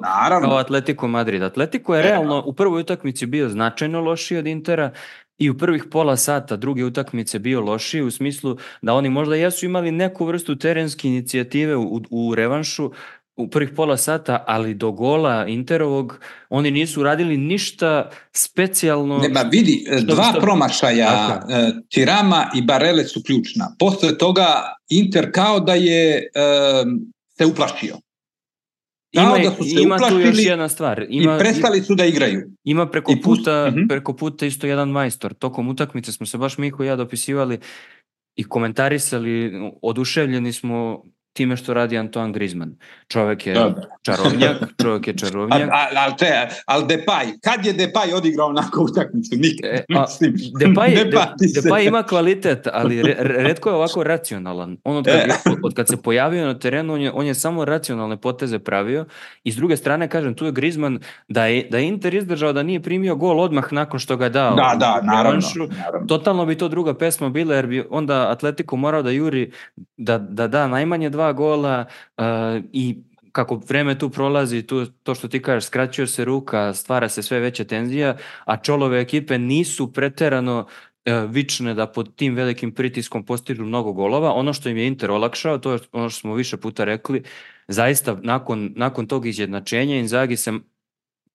Atletico Madrid. Atletico je realno u prvoj utakmici bio značajno lošiji od Intera i u prvih pola sata druge utakmice bio lošiji u smislu da oni možda jesu imali neku vrstu terenske inicijative u revanšu u prvih pola sata, ali do gola Interovog oni nisu radili ništa specijalno. Vidi, dva promašaja Tirama i Barele su ključna. Posle toga Inter kao da je se uplašio. Ima tu još jedna stvar. I prestali su da igraju. Ima preko puta isto jedan majstor. Tokom utakmice smo se baš Miho i ja dopisivali i komentarisali, oduševljeni smo time što radi Antoine Griezmann. Čovjek je Da. čarovnjak. Ali Depay, kad je Depay odigrao onako utakmicu? Nikad. Depay ima kvalitet, ali retko je ovako racionalan. On od kad se pojavio na terenu, on je samo racionalne poteze pravio. I s druge strane, kažem, tu je Griezmann, da je Inter izdržao da nije primio gol odmah nakon što ga dao. Naravno. Totalno bi to druga pesma bila, jer bi onda Atletico morao da juri da najmanje 2 gola i kako vreme tu prolazi, to što ti kažeš, skraćuje se ruka, stvara se sve veća tenzija, a Čolove ekipe nisu preterano vične da pod tim velikim pritiskom postižu mnogo golova. Ono što im je Inter olakšao, to je ono što smo više puta rekli, zaista nakon tog izjednačenja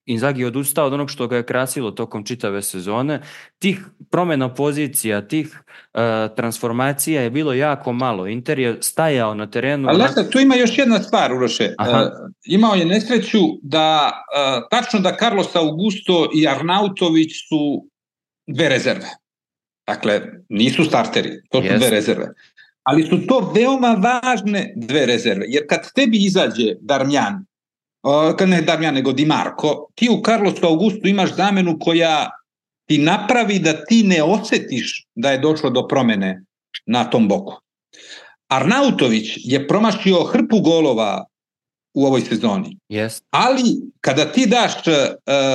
Inzaghi je odustao od onog što ga je krasilo tokom čitave sezone. Tih promjena pozicija, tih transformacija je bilo jako malo. Inter je stajao na terenu. Ali tu ima još jedna stvar, Uroše. Imao je nesreću da tačno da Carlos Augusto i Arnautović su 2 rezerve. Dakle, nisu starteri, to su 2 rezerve. Ali su to veoma važne 2 rezerve. Jer kad tebi izađe Darmian, ne Darmian nego Di Marco, ti u Carlosu Augustu imaš zamenu koja ti napravi da ti ne osjetiš da je došlo do promjene na tom boku. Arnautović je promašio hrpu golova u ovoj sezoni. Ali kada ti daš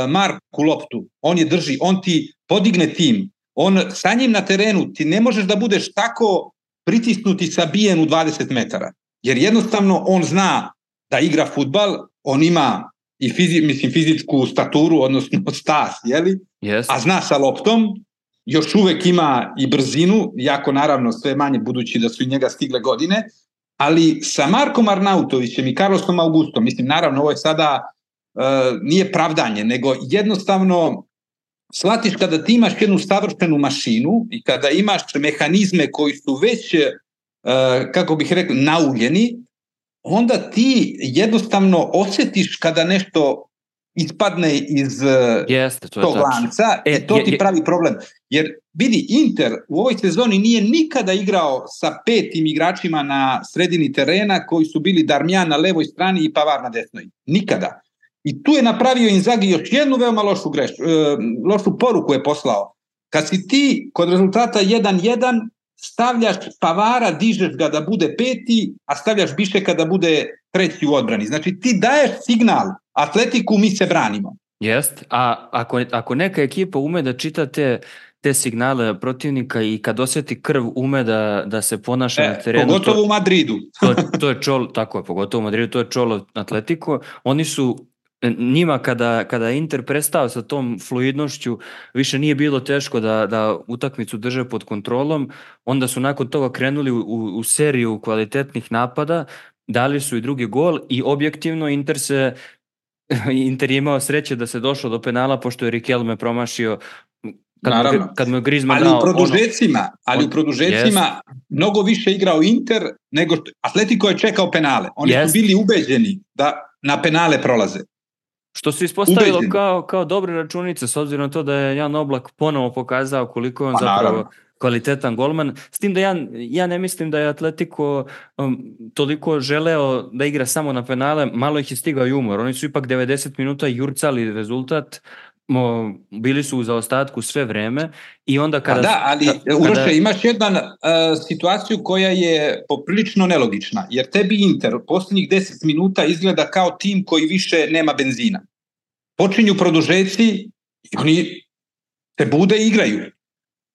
Marku loptu, on je drži, on ti podigne tim, on sa njim na terenu, ti ne možeš da budeš tako pritisnuti sabijen u 20 metara. Jer jednostavno on zna da igra fudbal, on ima i fizičku staturu, odnosno stas, a zna sa loptom, još uvek ima i brzinu, jako naravno sve manje budući da su i njega stigle godine, ali sa Markom Arnautovićem i Carlosom Augustom, mislim naravno ovo je sada nije pravdanje, nego jednostavno shvatiš kada ti imaš jednu savršenu mašinu i kada imaš mehanizme koji su već, kako bih rekao, nauljeni, onda ti jednostavno osjetiš kada nešto ispadne iz tog lanca i to ti pravi problem. Jer vidi, Inter u ovoj sezoni nije nikada igrao sa 5 igračima na sredini terena koji su bili Darmian na levoj strani i Pavard na desnoj. Nikada. I tu je napravio Inzaghi još jednu veoma lošu poruku je poslao. Kad si ti kod rezultata 1-1 stavljaš Pavara, dižeš ga da bude 5, a stavljaš Bišeka da bude 3 u odbrani. Znači ti daješ signal Atletiku, mi se branimo. Jest, a ako neka ekipa ume da čita te signale protivnika i kad osjeti krv ume da se ponaša na terenu. Pogotovo u Madridu. to je tako je, pogotovo u Madridu, to je čolo Atletico. Oni su njima kada je Inter prestao sa tom fluidnošću, više nije bilo teško da utakmicu drže pod kontrolom, onda su nakon toga krenuli u seriju kvalitetnih napada, dali su i drugi gol i objektivno Inter je imao sreće da se došlo do penala pošto je Riquelme promašio kad mu je Griezmann dao. Ali u produžecima mnogo više igrao Inter nego Atletico je čekao penale. Oni su bili ubeđeni da na penale prolaze. Što se ispostavilo kao dobre računice, s obzirom na to da je Jan Oblak ponovo pokazao koliko je on zapravo kvalitetan golman. S tim da ja ne mislim da je Atletico toliko želeo da igra samo na penale, malo ih je stigao i umor. Oni su ipak 90 minuta jurcali rezultat, bili su u zaostatku sve vreme i onda kada... Uroše, imaš jednu situaciju koja je poprilično nelogična, jer tebi Inter posljednjih 10 minuta izgleda kao tim koji više nema benzina. Počinju produžeci i oni se bude i igraju.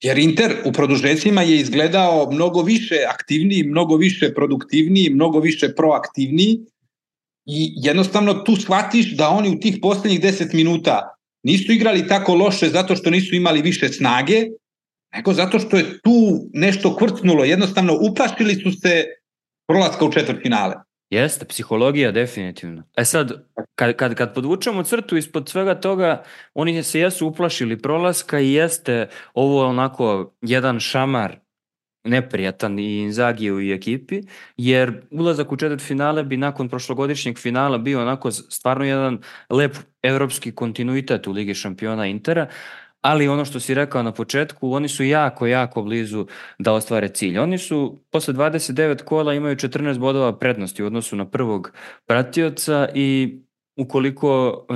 Jer Inter u produžecima je izgledao mnogo više aktivniji, mnogo više produktivniji, mnogo više proaktivniji i jednostavno tu shvatiš da oni u tih posljednjih 10 minuta nisu igrali tako loše zato što nisu imali više snage, nego zato što je tu nešto kvrcnulo. Jednostavno uplašili su se prolaska u četvrtfinale. Jeste, psihologija definitivno. Sad, kad podvučemo crtu ispod svega toga, oni se jesu uplašili prolaska i jeste ovo onako jedan šamar neprijatan i Inzagiju i ekipi, jer ulazak u četvrtfinale bi nakon prošlogodišnjeg finala bio onako stvarno jedan lep evropski kontinuitet u Ligi šampiona Intera, ali ono što si rekao na početku, oni su jako, jako blizu da ostvare cilj. Oni su posle 29 kola imaju 14 bodova prednosti u odnosu na prvog pratioca i ukoliko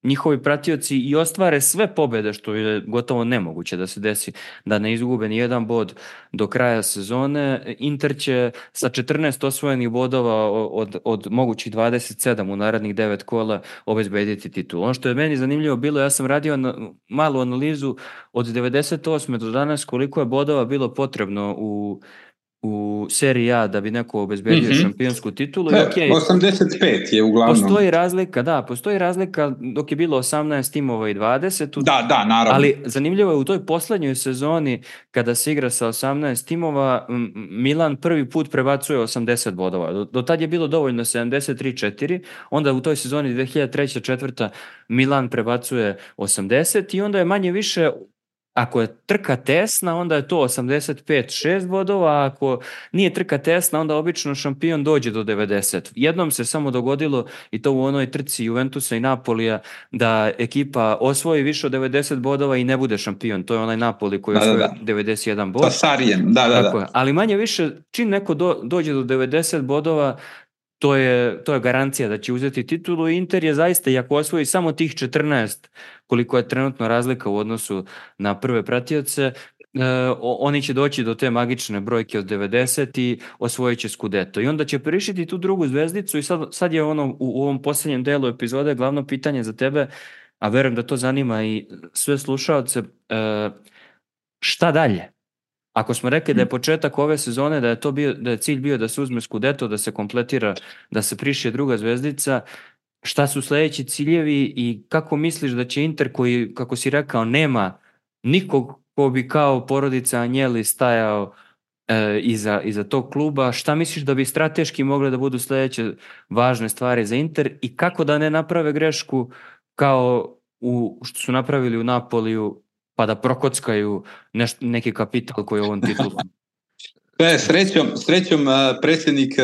njihovi pratioci i ostvare sve pobjede, što je gotovo nemoguće da se desi da ne izgube ni jedan bod do kraja sezone, Inter će sa 14 osvojenih bodova od mogućih 27 u narednih 9 kola obezbediti titul. Ono što je meni zanimljivo bilo, ja sam radio malu analizu od 98. do danas koliko je bodova bilo potrebno u seriji A da bi neko obezbedio šampionsku titulu. Ne, okay, 85 je uglavnom. Postoji razlika dok je bilo 18 timova i 20. Da, naravno. Ali zanimljivo je u toj poslednjoj sezoni kada se igra sa 18 timova, Milan prvi put prebacuje 80 bodova. Do tad je bilo dovoljno 73-4, onda u toj sezoni 2003-2004 Milan prebacuje 80 i onda je manje više. Ako je trka tesna, onda je to 85-6 bodova, a ako nije trka tesna, onda obično šampion dođe do 90. Jednom se samo dogodilo, i to u onoj trci Juventusa i Napolija, da ekipa osvoji više od 90 bodova i ne bude šampion. To je onaj Napoli koji osvoji 91 bod. Sa Sarijem, da. Ali manje više, čim neko dođe do 90 bodova, to je garancija da će uzeti titulu. Inter je zaista, i ako osvoji samo tih 14, koliko je trenutno razlika u odnosu na prve pratioce, oni će doći do te magične brojke od 90 i osvojit će Scudetto. I onda će prišiti tu drugu zvezdicu i sad je ono u ovom posljednjem delu epizode glavno pitanje za tebe, a verujem da to zanima i sve slušaoce, šta dalje? Ako smo rekli da je početak ove sezone, da je cilj bio da se uzme Scudetto, da se kompletira, da se prišije druga zvezdica, šta su sledeći ciljevi i kako misliš da će Inter, koji, kako si rekao, nema nikog ko bi kao porodica Agnelli stajao iza tog kluba, šta misliš da bi strateški mogle da budu sledeće važne stvari za Inter i kako da ne naprave grešku kao što su napravili u Napoliju, pa da prokockaju neki kapital koji je ovom titulom? Srećom predsjednik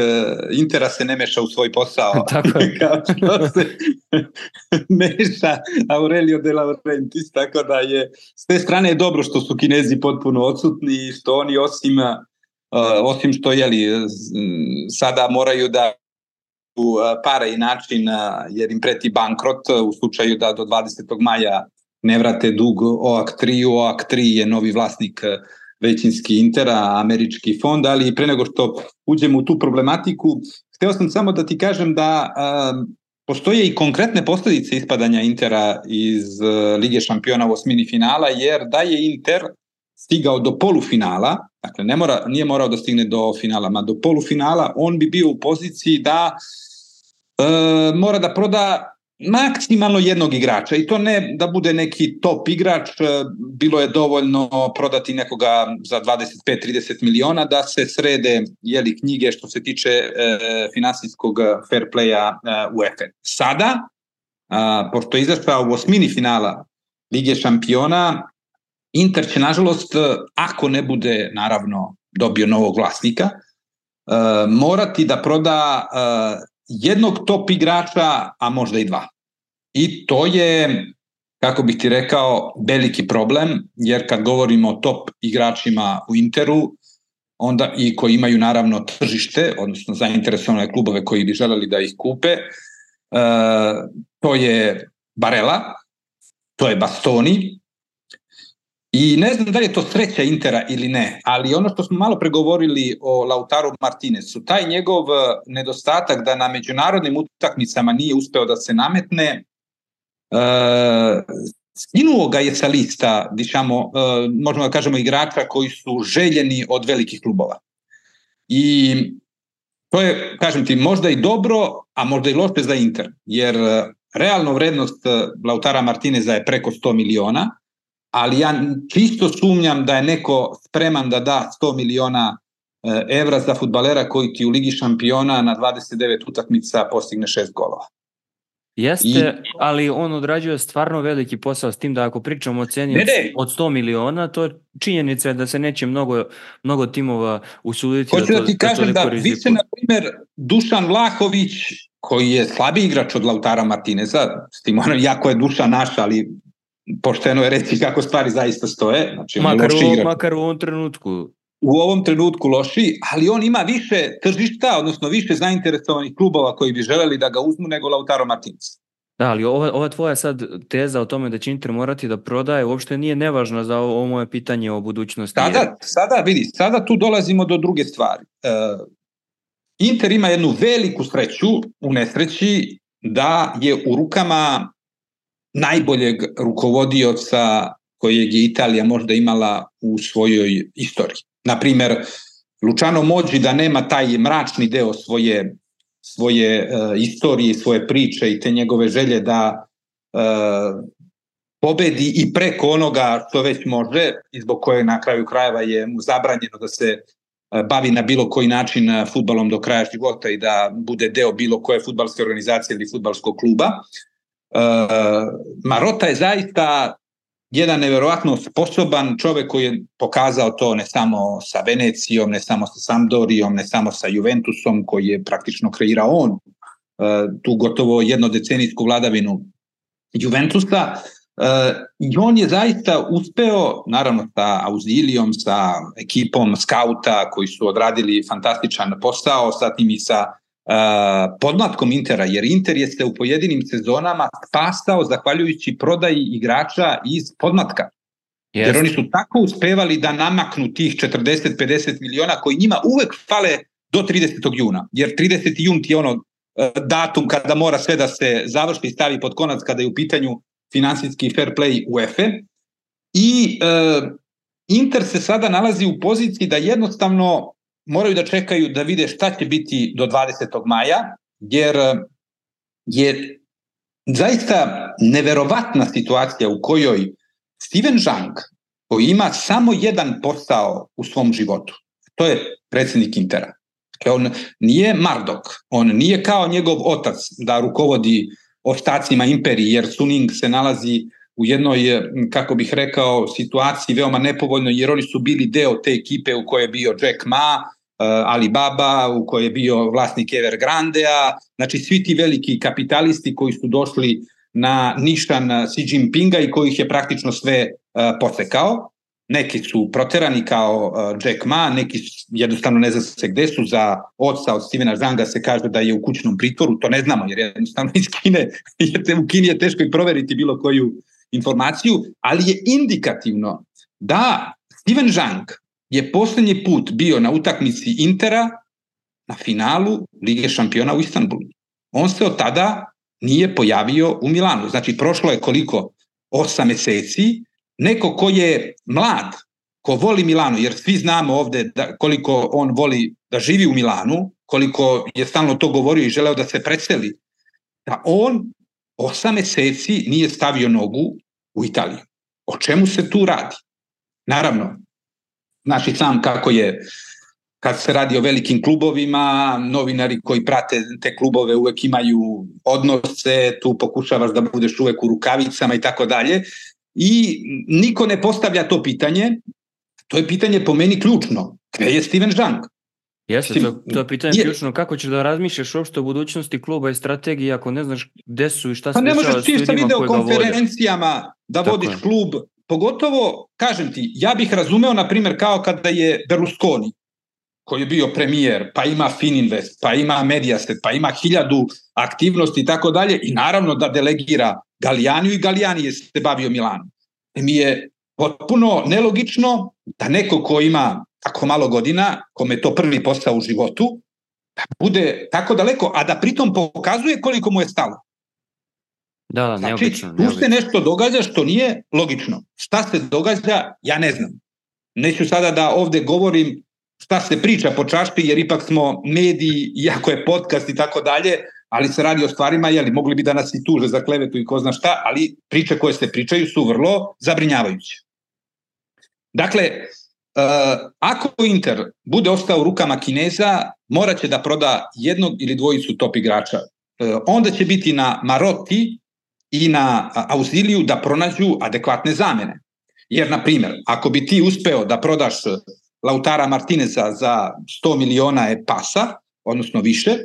Intera se ne meša u svoj posao. Tako je. Kao što se meša Aurelio De Laurentiis, tako da je s te strane je dobro što su Kinezi potpuno odsutni i što oni osim što sada moraju da pare i način jer im preti bankrot u slučaju da do 20. maja ne vrate dug OAK-3. OAK-3 je novi vlasnik većinski Intera, američki fond, ali pre nego što uđemo u tu problematiku, hteo sam samo da ti kažem da postoje i konkretne posljedice ispadanja Intera iz Lige šampiona u osmini finala, jer da je Inter stigao do polufinala, dakle nije morao da stigne do finala, ma do polufinala, on bi bio u poziciji da mora da proda maksimalno jednog igrača i to ne da bude neki top igrač, bilo je dovoljno prodati nekoga za 25-30 miliona da se srede knjige što se tiče finansijskog fair playa UEFA. Sada, pošto je izašao u osmini finala Lige šampiona, Inter će nažalost, ako ne bude naravno dobio novog vlasnika, morati da proda jednog top igrača, a možda i dva. I to je, kako bih ti rekao, veliki problem, jer kad govorimo o top igračima u Interu, onda i koji imaju naravno tržište, odnosno zainteresovane klubove koji bi želeli da ih kupe, to je Barella, to je Bastoni, i ne znam da li je to sreća Intera ili ne, ali ono što smo malo pregovorili o Lautaru Martinezu, taj njegov nedostatak da na međunarodnim utakmicama nije uspeo da se nametne, skinuo ga je sa lista, možemo da kažemo, igrača koji su željeni od velikih klubova. I to je, kažem ti, možda i dobro, a možda i loše za Inter, jer realno vrednost Lautara Martineza je preko 100 miliona, ali ja čisto sumnjam da je neko spreman da da 100 miliona evra za fudbalera koji ti u Ligi šampiona na 29 utakmica postigne 6 golova. Jeste, ali on odrađuje stvarno veliki posao, s tim da ako pričamo o ceni od 100 miliona, to je činjenica da se neće mnogo timova usuditi. Hoću da ti kažem da više, na primjer, Dušan Vlahović, koji je slabiji igrač od Lautara Martineza, s tim jako je Dušan naš, ali pošteno je reći kako stvari zaista stoje. Znači, on je loši igrač. Makar u ovom trenutku. U ovom trenutku loši, ali on ima više tržišta, odnosno više zainteresovanih klubova koji bi želeli da ga uzmu nego Lautaro Martinez. Da, ali ova tvoja sad teza o tome da će Inter morati da prodaje uopšte nije nevažna za ovo moje pitanje o budućnosti. Sada tu dolazimo do druge stvari. Inter ima jednu veliku sreću u nesreći da je u rukama najboljeg rukovodioca kojeg je Italija možda imala u svojoj istoriji. Naprimer, Luciano Moggi da nema taj mračni deo svoje istorije, svoje priče i te njegove želje da pobedi i preko onoga što već može i zbog koje na kraju krajeva je mu zabranjeno da se bavi na bilo koji način fudbalom do kraja života i da bude deo bilo koje fudbalske organizacije ili fudbalskog kluba. Marotta je zaista jedan neverovatno sposoban čovjek koji je pokazao to ne samo sa Venecijom, ne samo sa Sampdorijom, ne samo sa Juventusom koji je praktično kreirao on tu gotovo jednodecenijsku vladavinu Juventusa. I on je zaista uspeo, naravno sa Auzilijom, sa ekipom skauta koji su odradili fantastičan posao, sa tim i sa podmlatkom Intera, jer Inter je se u pojedinim sezonama spasao zahvaljujući prodaji igrača iz podmlatka. Yes. Jer oni su tako uspevali da namaknu tih 40-50 miliona koji njima uvek fale do 30. juna. Jer 30. jun ti je ono datum kada mora sve da se završi i stavi pod konac kada je u pitanju finansijski fair play UEFA. I Inter se sada nalazi u poziciji da jednostavno moraju da čekaju da vide šta će biti do 20. maja, jer je zaista neverovatna situacija u kojoj Steven Zhang, koji ima samo jedan posao u svom životu, to je predsjednik Intera. On nije Mardok, on nije kao njegov otac da rukovodi ostacima imperije, jer Suning se nalazi u jednoj, kako bih rekao, situaciji veoma nepovoljnoj, jer oni su bili deo te ekipe u kojoj je bio Jack Ma, Alibaba, u kojoj je bio vlasnik Evergrandea, znači svi ti veliki kapitalisti koji su došli na nišan Xi Jinpinga i kojih je praktično sve posekao. Neki su proterani kao Jack Ma, neki jednostavno ne zna se gde su. Za oca od Stevena Zhanga se kaže da je u kućnom pritvoru, to ne znamo jer jednostavno iz Kine, u Kini je teško i proveriti bilo koju informaciju, ali je indikativno da Steven Zhang je posljednji put bio na utakmici Intera na finalu Lige šampiona u Istanbulu. On se od tada nije pojavio u Milanu. Znači, prošlo je koliko? 8 meseci. Neko ko je mlad, ko voli Milanu, jer svi znamo ovde koliko on voli da živi u Milanu, koliko je stalno to govorio i želeo da se preseli, da on 8 meseci nije stavio nogu u Italiju. O čemu se tu radi? Naravno, znači sam kako je, kad se radi o velikim klubovima, novinari koji prate te klubove uvek imaju odnose, tu pokušavaš da budeš uvek u rukavicama i tako dalje. I niko ne postavlja to pitanje. To je pitanje po meni ključno. Gde je Steven Zhang? Jeste, to je pitanje ključno. Kako ćeš da razmišljaš uopšte o budućnosti kluba i strategiji ako ne znaš gde su i šta se dešava s ljudima koji ga vode? Pa ne možeš ti sa videokonferencijama da vodiš klub. Pogotovo, kažem ti, ja bih razumeo, na primjer, kao kada je Berlusconi, koji je bio premijer, pa ima Fininvest, pa ima Mediaset, pa ima 1000 aktivnosti i tako dalje, i naravno da delegira Gallianiju i Galliani je se bavio Milanom. Mi je potpuno nelogično da neko ko ima tako malo godina, kome je to prvi posao u životu, da bude tako daleko, a da pritom pokazuje koliko mu je stalo. Da, znači, neobično. Tu se nešto događa što nije logično. Šta se događa, ja ne znam. Neću sada da ovde govorim šta se priča po čašpi, jer ipak smo mediji, iako je podcast i tako dalje, ali se radi o stvarima, mogli bi da nas i tuže za klevetu i ko zna šta, ali priče koje se pričaju su vrlo zabrinjavajuće. Dakle, ako Inter bude ostao u rukama Kineza, morat će da proda jednog ili dvojicu top igrača. Onda će biti na Marotti i na Ausiliju da pronađu adekvatne zamene. Jer, na primjer, ako bi ti uspeo da prodaš Lautara Martineza za 100 miliona pasa, odnosno više,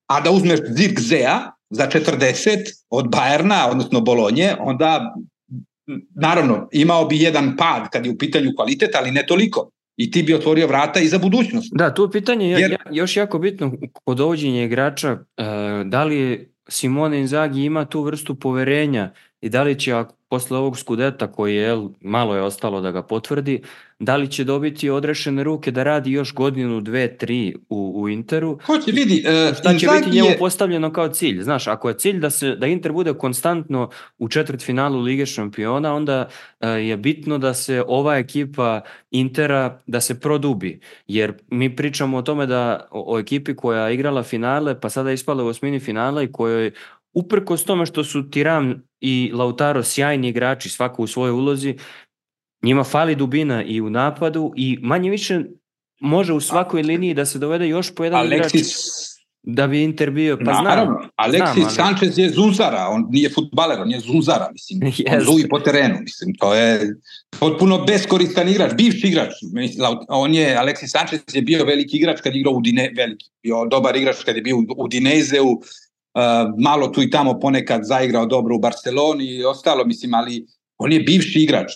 a da uzmeš Zirkzea za 40 od Bajerna, odnosno Bolonje, onda naravno, imao bi jedan pad kad je u pitanju kvalitet, ali ne toliko. I ti bi otvorio vrata i za budućnost. Da, tu pitanje još jako bitno kod dovođenja igrača, da li Simone Inzaghi ima tu vrstu poverenja i da li će posle ovog Scudetta koji malo je ostalo da ga potvrdi, da li će dobiti odrešene ruke da radi još godinu, 2, 3 u Interu? Ko će vidi? Šta će biti njemu postavljeno kao cilj? Znaš, ako je cilj da Inter bude konstantno u četvrtfinalu Lige šampiona, onda je bitno da se ova ekipa Intera da se produbi. Jer mi pričamo o tome o ekipi koja je igrala finale, pa sada je ispala u osmini finala i kojoj uprkos tome što su Thuram i Lautaro sjajni igrači, svako u svojoj ulozi, njima fali dubina i u napadu i manje više može u svakoj liniji da se dovede još po jedan igrač da bi Inter bio, pa naravno, Alexis Sanchez je zunzara, on nije fudbaler, on je zunzara, mislim, on zuji po terenu, mislim, to je potpuno beskoristan igrač, bivši igrač, Alexis Sanchez je bio veliki igrač kad je igrao bio dobar igrač kad je bio u Udinezeu, malo tu i tamo ponekad zaigrao dobro u Barceloni i ostalo, mislim, ali on je bivši igrač.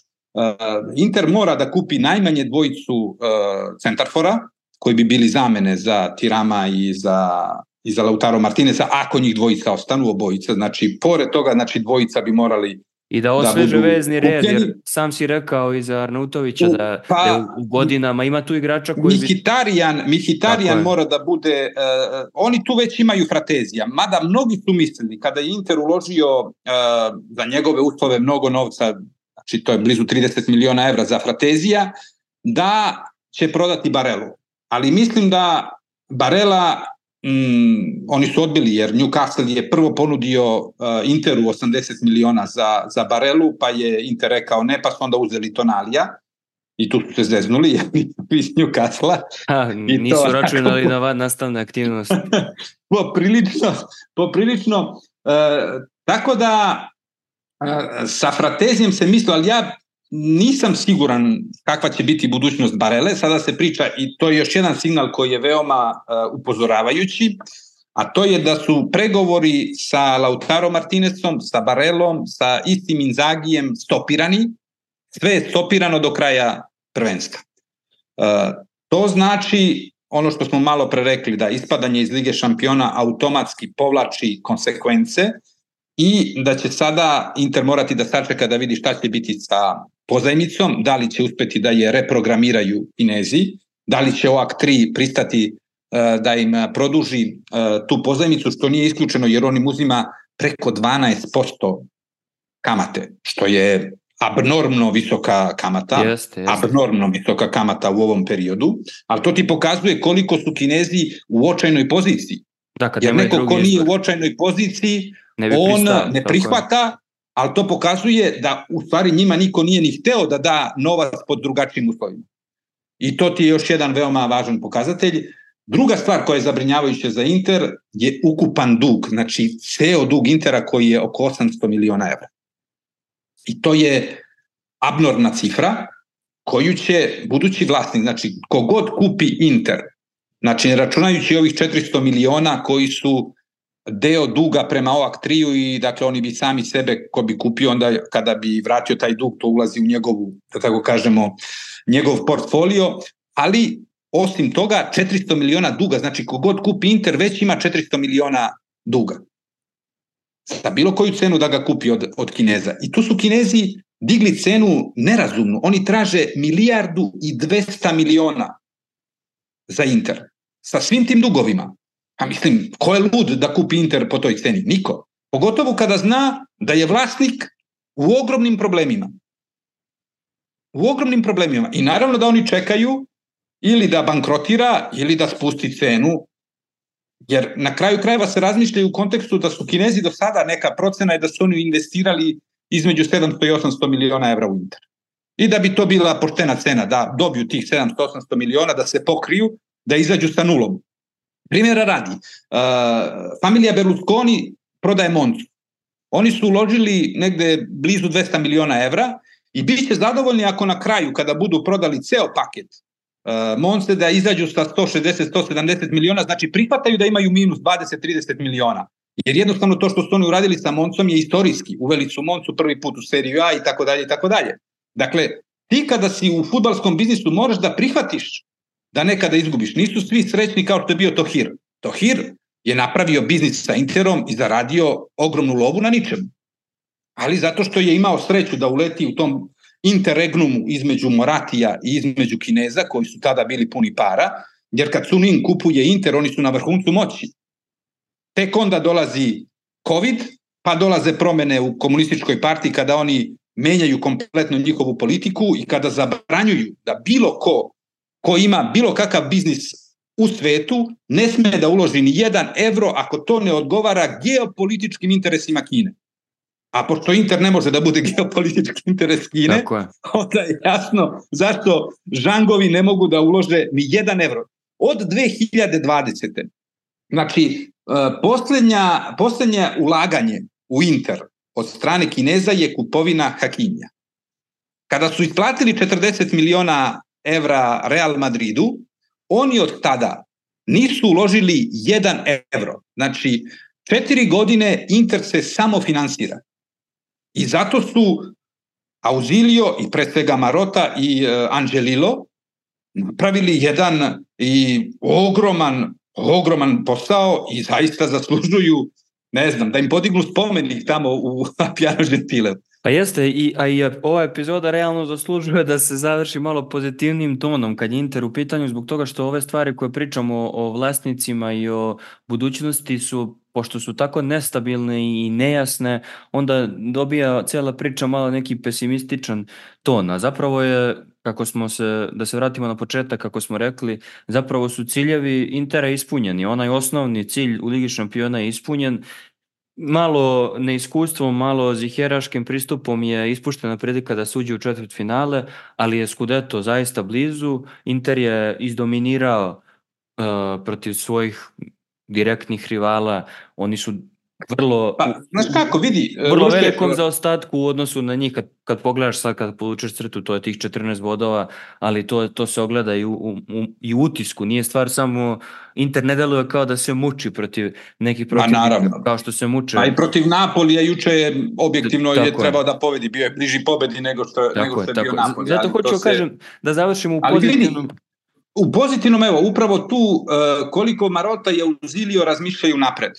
Inter mora da kupi najmanje dvojicu centarfora koji bi bili zamene za Thurama i za Lautaro Martineza, ako njih dvojica ostanu, obojica, znači pored toga, znači dvojica bi morali i da osveže vezni red, jer sam si rekao i za Arnautovića da je u godinama ima tu igrača koji Mihitarijan mora da bude, oni tu već imaju Fratezija, mada mnogi su mislili kada je Inter uložio za njegove uslove mnogo novca, znači to je blizu 30 miliona evra za Fratezija, da će prodati Barelu. Ali mislim da Barela oni su odbili, jer Newcastle je prvo ponudio Interu 80 miliona za Barelu, pa je Inter rekao ne, pa su onda uzeli Tonalija i tu su se zeznuli iz Newcastle. Nisu računali na nastavne aktivnosti. Poprilično. Tako da sa Fratezijem se mislio, ali ja nisam siguran kakva će biti budućnost Barele. Sada se priča, i to je još jedan signal koji je veoma upozoravajući, a to je da su pregovori sa Lautaro Martinezom, sa Barelom, sa istim Inzagijem stopirani. Sve je stopirano do kraja prvenstva. To znači ono što smo malo pre rekli, da ispadanje iz Lige šampiona automatski povlači konsekvence i da će sada Inter morati da sačeka da vidi šta će biti sa pozajmicom, da li će uspeti da je reprogramiraju Kinezi, da li će OAK 3 pristati da im produži tu pozajmicu, što nije isključeno jer on im uzima preko 12% kamate, što je abnormno visoka kamata, abnormno visoka kamata u ovom periodu, ali to ti pokazuje koliko su Kinezi u očajnoj poziciji. Jer neko ko nije u očajnoj poziciji, on ne prihvata, ali to pokazuje da u stvari njima niko nije ni hteo da da novac pod drugačijim uslovima. I to ti je još jedan veoma važan pokazatelj. Druga stvar koja je zabrinjavajuća za Inter je ukupan dug, znači ceo dug Intera koji je oko 800 miliona evra. I to je abnormna cifra koju će budući vlasnik, znači kogod kupi Inter, znači ne računajući ovih 400 miliona koji su deo duga prema OAK 3-u i dakle oni bi sami sebe, ko bi kupio onda kada bi vratio taj dug, to ulazi u njegovu, da tako kažemo, njegov portfolio, ali osim toga 400 miliona duga, znači kogod kupi Inter već ima 400 miliona duga. Za bilo koju cenu da ga kupi od Kineza. I tu su Kinezi digli cenu nerazumnu. Oni traže 1,2 milijarde za Inter. Sa svim tim dugovima. A mislim, ko je lud da kupi Inter po toj ceni? Niko. Pogotovo kada zna da je vlasnik u ogromnim problemima. U ogromnim problemima. I naravno da oni čekaju ili da bankrotira ili da spusti cenu. Jer na kraju krajeva se razmišljaju u kontekstu da su Kinezi do sada, neka procena je da su oni investirali između 700 i 800 miliona evra u Inter. I da bi to bila poštena cena, da dobiju tih 700-800 miliona, da se pokriju, da izađu sa nulom. Primjera radi, familija Berlusconi prodaje Moncu. Oni su uložili negde blizu 200 miliona evra i bit će zadovoljni ako na kraju, kada budu prodali ceo paket Monce, da izađu sa 160-170 miliona, znači prihvataju da imaju minus 20-30 miliona. Jer jednostavno to što su oni uradili sa Moncom je istorijski. Uveli su Moncu prvi put u seriju A i tako dalje i tako dalje. Dakle, ti kada si u fudbalskom biznisu moraš da prihvatiš da nekada izgubiš. Nisu svi srećni kao što je bio Tohir. Tohir je napravio biznis sa Interom i zaradio ogromnu lovu na ničemu. Ali zato što je imao sreću da uleti u tom interregnumu između Moratija i između Kineza, koji su tada bili puni para, jer kad Sunin kupuje Inter, oni su na vrhuncu moći. Tek onda dolazi COVID, pa dolaze promene u komunističkoj partiji kada oni menjaju kompletno njihovu politiku i kada zabranjuju da bilo ko ima bilo kakav biznis u svetu ne sme da uloži ni 1 evro ako to ne odgovara geopolitičkim interesima Kine. A pošto Inter ne može da bude geopolitički interes Kine, onda je jasno zašto žangovi ne mogu da ulože ni 1 evro. Od 2020. Znači, posljednje ulaganje u Inter od strane Kineza je kupovina Hakimija. Kada su isplatili 40 miliona evra Real Madridu, oni od tada nisu uložili 1 evro. Znači, 4 godine Inter se samo finansira. I zato su Ausilio i pre svega Marota i Angelilo napravili jedan i ogroman posao i zaista zaslužuju, ne znam, da im podignu spomenik tamo u Appiano Gentileu. Pa jeste, i ova epizoda realno zaslužuje da se završi malo pozitivnim tonom kad je Inter u pitanju, zbog toga što ove stvari koje pričamo o vlasnicima i o budućnosti su, pošto su tako nestabilne i nejasne, onda dobija cijela priča malo neki pesimističan ton. A zapravo je, da se vratimo na početak, kako smo rekli, zapravo su ciljevi Intera ispunjeni. Onaj osnovni cilj u Ligi šampiona je ispunjen. Malo neiskustvom, malo ziheraškim pristupom je ispuštena prilika da se uđe u četvrtfinale, ali je Scudetto zaista blizu. Inter je izdominirao protiv svojih direktnih rivala. Oni su vrlo velikom zaostatku u odnosu na njih. Kad pogledaš sad, kad povučeš crtu, to je tih 14 bodova, ali to se ogleda i u utisku. Nije stvar samo, Inter ne deluje kao da se muči protiv nekih protivnika, kao što se muče. A i protiv Napolija juče je objektivno je trebao da pobedi, bio je bliži pobedi nego što je bio Napoli. Zato hoću kažem da završimo u pozitivnom. U pozitivnom, evo, upravo tu koliko Marota i Ausilio razmišljaju napred.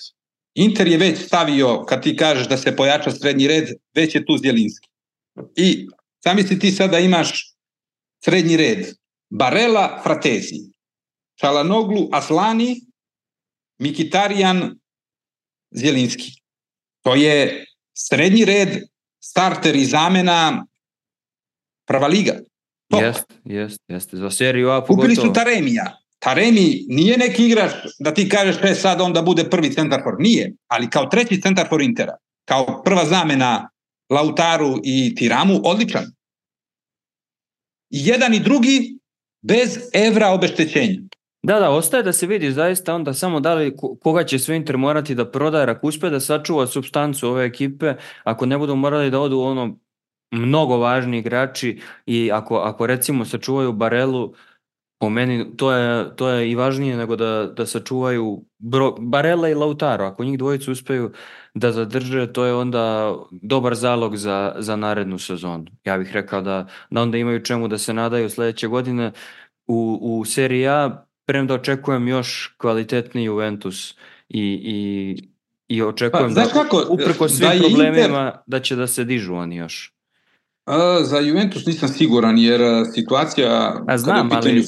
Inter je već stavio, kad ti kažeš da se pojača srednji red, već je tu Zjelinski. I zamisli ti sada imaš srednji red Barella, Fratesi, Çalhanoğlu, Aslani, Mkhitaryan, Zjelinski. To je srednji red, starter i zamena, prva liga. Jeste. Za seriju A pogotovo. Kupili su Taremija. Taremi nije neki igrač da ti kažeš sad onda bude prvi centarfor. Nije, ali kao treći centarfor Intera, kao prva zamena Lautaru i Tiramu, odličan. I jedan i drugi bez evra obeštećenja. Da, ostaje da se vidi zaista onda samo da li koga će sve Inter morati da prodaje, ako uspe da sačuva supstancu ove ekipe, ako ne budu morali da odu mnogo važni igrači i ako recimo sačuvaju Barelu, po meni to je i važnije nego da sačuvaju Barella i Lautaro. Ako njih dvojicu uspeju da zadrže, to je onda dobar zalog za narednu sezonu. Ja bih rekao da onda imaju čemu da se nadaju sljedeće godine u seriji A, premda očekujem još kvalitetniji Juventus i očekujem uprkos svim problemima da će da se dižu oni još. Za Juventus nisam siguran, jer situacija kada je u pitanju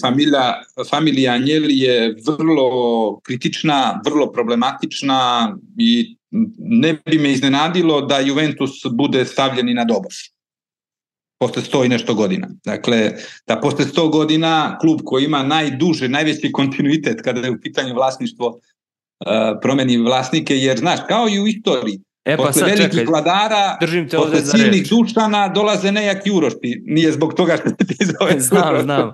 familija Agnelli je vrlo kritična, vrlo problematična i ne bi me iznenadilo da Juventus bude stavljen i na doboš posle 100 i nešto godina. Dakle, da posle 100 godina klub koji ima najveći kontinuitet kada je u pitanju vlasništvo promeni vlasnike, jer znaš, kao i u istoriji, posle velikih vladara, posle silnih dušana dolaze nejaki urošti. Nije zbog toga što ti zove. Znam,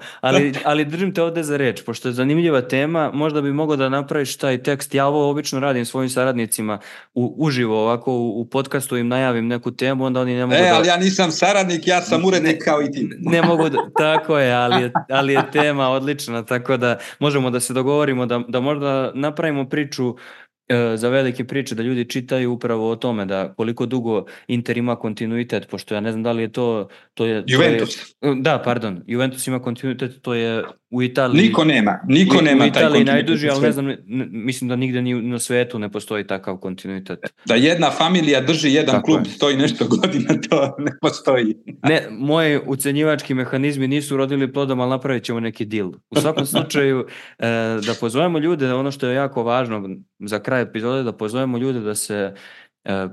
ali držim te ovde za reč, pošto je zanimljiva tema, možda bi mogao da napraviš taj tekst. Ja ovo obično radim svojim saradnicima uživo, ovako u podcastu im najavim neku temu, onda oni ne mogu ali ja nisam saradnik, ja sam urednik kao i ti. Ne mogu tako je, ali je tema odlična, tako da možemo da se dogovorimo da možda napravimo priču za velike priče, da ljudi čitaju upravo o tome, da koliko dugo Inter ima kontinuitet, pošto ja ne znam da li je to je... Juventus. Da, pardon, Juventus ima kontinuitet, to je u Italiji... Niko nema taj kontinuitet. U Italiji najduži, ali ne znam, mislim da nigde ni na svetu ne postoji takav kontinuitet. Da jedna familija drži jedan tako klub, stoji nešto godina, to ne postoji. Ne, moji ucenjivački mehanizmi nisu rodili plodom, ali napravit ćemo neki deal. U svakom slučaju, da pozovemo ljude, ono što je jako važno za kraj epizode, da pozovemo ljude da se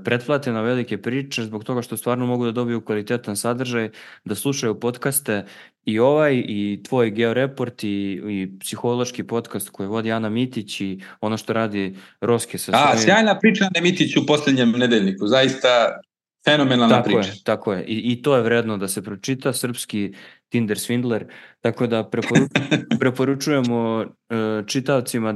pretplate na velike priče, zbog toga što stvarno mogu da dobiju kvalitetan sadržaj, da slušaju podcaste i ovaj, i tvoj Georeport, i psihološki podcast koji vodi Ana Mitić, i ono što radi Roske sa svojim... Sjajna priča na Mitić u posljednjem nedeljniku, zaista fenomenalna priča. Tako je. I to je vredno da se pročita, srpski Tinder Swindler, tako da preporučujemo čitaocima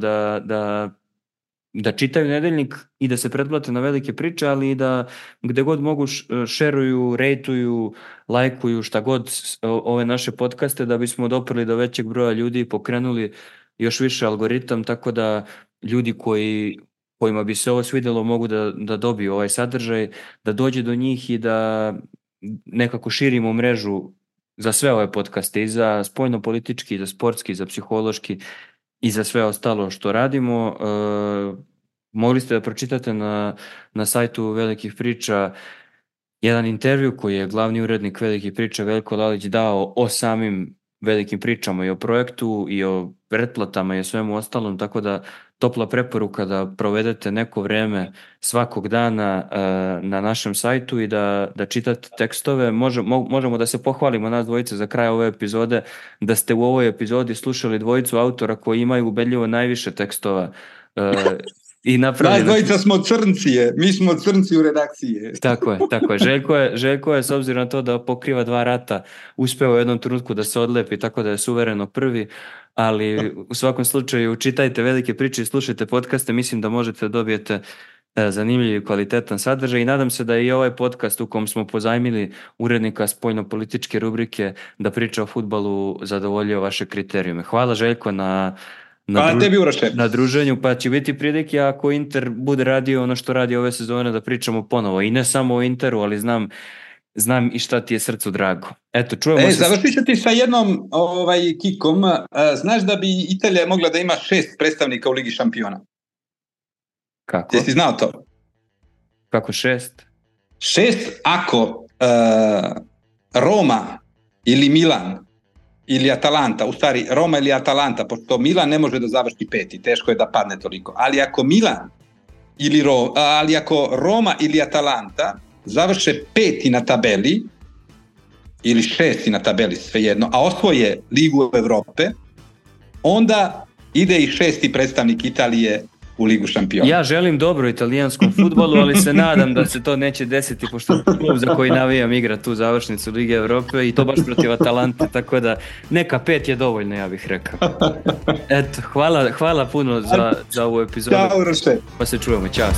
da čitaju nedeljnik i da se pretplate na velike priče, ali i da gde god mogu šeruju, rejtuju, lajkuju, šta god ove naše podcaste, da bismo doprli do većeg broja ljudi i pokrenuli još više algoritam, tako da ljudi kojima bi se ovo svidjelo mogu da dobiju ovaj sadržaj, da dođe do njih i da nekako širimo mrežu za sve ove podcaste, i za spoljno-politički, i za sportski, i za psihološki, i za sve ostalo što radimo. Mogli ste da pročitate na sajtu Velikih priča jedan intervju koji je glavni urednik Velikih priča Veljko Lalić dao o samim velikim pričama i o projektu i o pretplatama i o svemu ostalom, tako da topla preporuka da provedete neko vreme svakog dana na našem sajtu i da čitate tekstove. Možemo da se pohvalimo nas dvojice za kraj ove epizode, da ste u ovoj epizodi slušali dvojicu autora koji imaju ubedljivo najviše tekstova i napravljeno... Nas dvojica smo crncije, mi smo crnci u redakciji. Tako je. Željko je, s obzirom na to da pokriva 2 rata, uspeo u jednom trenutku da se odlepi, tako da je suvereno prvi, ali u svakom slučaju čitajte velike priče i slušajte podcaste, mislim da možete da dobijete zanimljiv i kvalitetan sadržaj, i nadam se da je i ovaj podcast u kom smo pozajmili urednika spoljno-političke rubrike da priča o fudbalu zadovoljio vaše kriterijume. Hvala Željko na druženju, pa će biti prilike ako Inter bude radio ono što radi ove sezone da pričamo ponovo, i ne samo o Interu, ali znam i šta ti je srcu drago. Eto, čujemo se. Završit ću ti sa jednom kikom. Znaš da bi Italija mogla da ima 6 predstavnika u Ligi šampiona? Kako? Jesi znao to? Kako 6? 6 ako Roma ili Milan ili Atalanta, u stvari Roma ili Atalanta, pošto Milan ne može da završi 5, teško je da padne toliko, ali ako ako Roma ili Atalanta završe 5 na tabeli ili 6 na tabeli, svejedno, a osvoje Ligu Evrope, onda ide i 6. predstavnik Italije u Ligu šampiona. Ja želim dobro italijanskom fudbalu, ali se nadam da se to neće desiti, pošto klub za koji navijam igra tu završnicu Lige Evrope, i to baš protiv Atalante, tako da neka 5 je dovoljno, ja bih rekao. Eto, hvala puno za ovu epizodu. Ćao, Roše. Pa se čujemo, ćao.